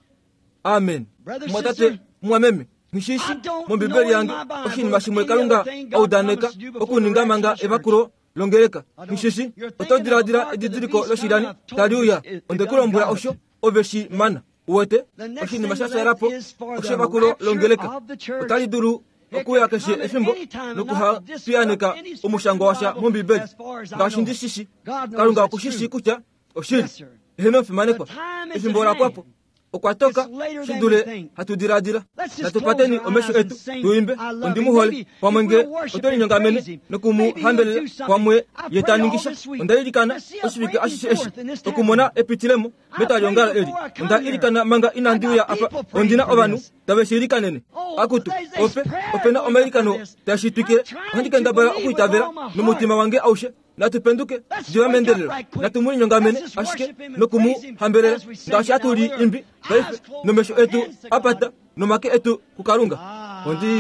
Speaker 1: amen
Speaker 2: Brother,
Speaker 1: mwatate
Speaker 2: sister,
Speaker 1: mwameme nishishi
Speaker 2: I don't
Speaker 1: mombibeli
Speaker 2: know in
Speaker 1: yange
Speaker 2: my Bible
Speaker 1: oshinima shimwe
Speaker 2: any
Speaker 1: kalunga
Speaker 2: other thing God
Speaker 1: audaneka
Speaker 2: promised to do before
Speaker 1: okuninga
Speaker 2: the rapture
Speaker 1: manga
Speaker 2: of the church.
Speaker 1: evakulo longeleka
Speaker 2: I don't-
Speaker 1: nishishi
Speaker 2: You're thinking
Speaker 1: oto diladila
Speaker 2: of the mark of the
Speaker 1: edidiliko
Speaker 2: beast
Speaker 1: loshilani
Speaker 2: coming. I've told
Speaker 1: tali
Speaker 2: you
Speaker 1: uya
Speaker 2: it- it
Speaker 1: onde
Speaker 2: done
Speaker 1: kulombwela
Speaker 2: got
Speaker 1: osho
Speaker 2: it.
Speaker 1: ove shi mana uwete
Speaker 2: The next
Speaker 1: oshinima
Speaker 2: thing
Speaker 1: sha
Speaker 2: left
Speaker 1: shalapo
Speaker 2: is for the
Speaker 1: oshevakulo
Speaker 2: rapture
Speaker 1: longeleka
Speaker 2: of the church.
Speaker 1: otali dulu
Speaker 2: It
Speaker 1: okuya
Speaker 2: could
Speaker 1: keshe
Speaker 2: come at
Speaker 1: efimbo
Speaker 2: any time and
Speaker 1: nokuha
Speaker 2: not disrupt
Speaker 1: piyaneka
Speaker 2: any scripture
Speaker 1: omushango washa
Speaker 2: in the Bible
Speaker 1: mombibeli
Speaker 2: as far as I
Speaker 1: ngaashi
Speaker 2: know.
Speaker 1: ndi shishi
Speaker 2: God knows
Speaker 1: kalunga
Speaker 2: that's
Speaker 1: okushishi
Speaker 2: true.
Speaker 1: kutya oshili
Speaker 2: Yes, sir.
Speaker 1: eheno mfimanekwa
Speaker 2: The time is
Speaker 1: efimbo
Speaker 2: at
Speaker 1: la pwapo
Speaker 2: hand.
Speaker 1: okwa toka
Speaker 2: It's later than we
Speaker 1: shidule
Speaker 2: think.
Speaker 1: hatu diladila
Speaker 2: Let's just
Speaker 1: natupateni
Speaker 2: close our
Speaker 1: omesho
Speaker 2: eyes and
Speaker 1: etu
Speaker 2: sing,
Speaker 1: tuimbe
Speaker 2: I love him.
Speaker 1: ondimuhole
Speaker 2: Maybe
Speaker 1: pamwe
Speaker 2: if
Speaker 1: nge
Speaker 2: we'll worship
Speaker 1: oto
Speaker 2: and
Speaker 1: linyongamene
Speaker 2: praise him, maybe he'll
Speaker 1: nokumuhambelela
Speaker 2: do something.
Speaker 1: pamwe
Speaker 2: I prayed
Speaker 1: ye
Speaker 2: all
Speaker 1: taningisha
Speaker 2: this week.
Speaker 1: ondailikana
Speaker 2: To see a
Speaker 1: oshivike
Speaker 2: breaking
Speaker 1: ashishe eshi
Speaker 2: forth in this
Speaker 1: okumona
Speaker 2: tabernacle.
Speaker 1: epitilemo
Speaker 2: I
Speaker 1: metaliongalo
Speaker 2: prayed
Speaker 1: eli
Speaker 2: before I come
Speaker 1: onda
Speaker 2: here.
Speaker 1: ilikana manga inandi
Speaker 2: I
Speaker 1: uya
Speaker 2: got
Speaker 1: apa
Speaker 2: people praying
Speaker 1: ondina
Speaker 2: for
Speaker 1: ovanhu
Speaker 2: this.
Speaker 1: tave shi ilikanene
Speaker 2: Oh,
Speaker 1: akutu
Speaker 2: there's
Speaker 1: ope
Speaker 2: prayer
Speaker 1: opena
Speaker 2: going up
Speaker 1: omailikano
Speaker 2: for this.
Speaker 1: tashitwike
Speaker 2: I'm trying
Speaker 1: ohandi
Speaker 2: to
Speaker 1: kendabala
Speaker 2: believe with
Speaker 1: okuitavela
Speaker 2: all my heart.
Speaker 1: nomutima wange aushe natupenduke
Speaker 2: Let's
Speaker 1: diva
Speaker 2: wake up
Speaker 1: meendelelo
Speaker 2: right quick.
Speaker 1: natumulinyongamene
Speaker 2: Let's just
Speaker 1: ashike
Speaker 2: worship him and praise him
Speaker 1: nokumuhambelela
Speaker 2: as we sing
Speaker 1: ngaashi
Speaker 2: it now
Speaker 1: atuli
Speaker 2: with our
Speaker 1: imbi paife
Speaker 2: eyes closed
Speaker 1: nomesho
Speaker 2: and
Speaker 1: etu
Speaker 2: hands to God.
Speaker 1: apata nomake etu kukalunga ondi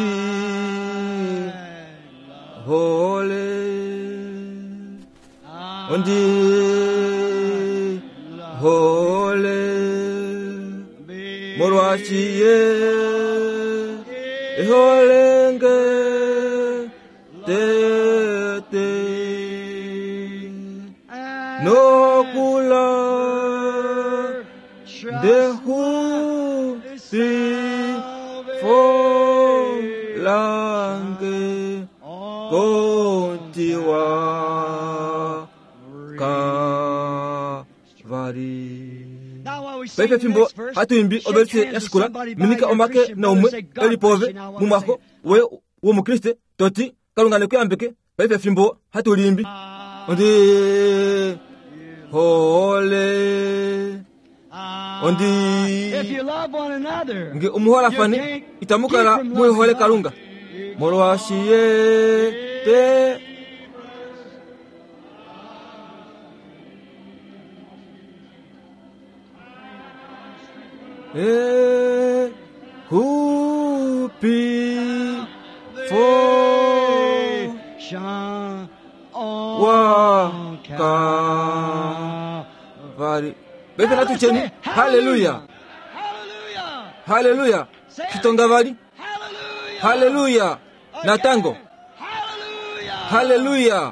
Speaker 1: hole ondi hole molwashiye eholenge tete Nokula ndehupifo lange kontiwa Kalvari. Paife fimbo hatu imbi ovelise ya shikula minika omake naumwe eli pove mumwaxo woye womukriste toti Kalunga nekuyambeke. Paife fimbo hatu liimbi ondi hole ondi nge omuholafani itamu kala muhole Kalunga molwaashi ye te e hupi fo wa Kalvari. Paife natutyeni haleluya, haleluya, xitonga vali haleluya natango haleluya.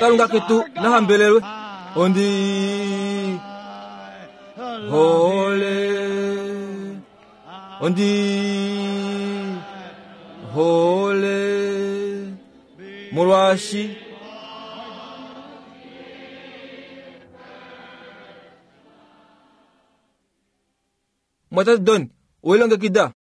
Speaker 1: Kalunga ketu nahambelelwe. Ondi hole ondi hole molwaashi mwatate Don, welongekida.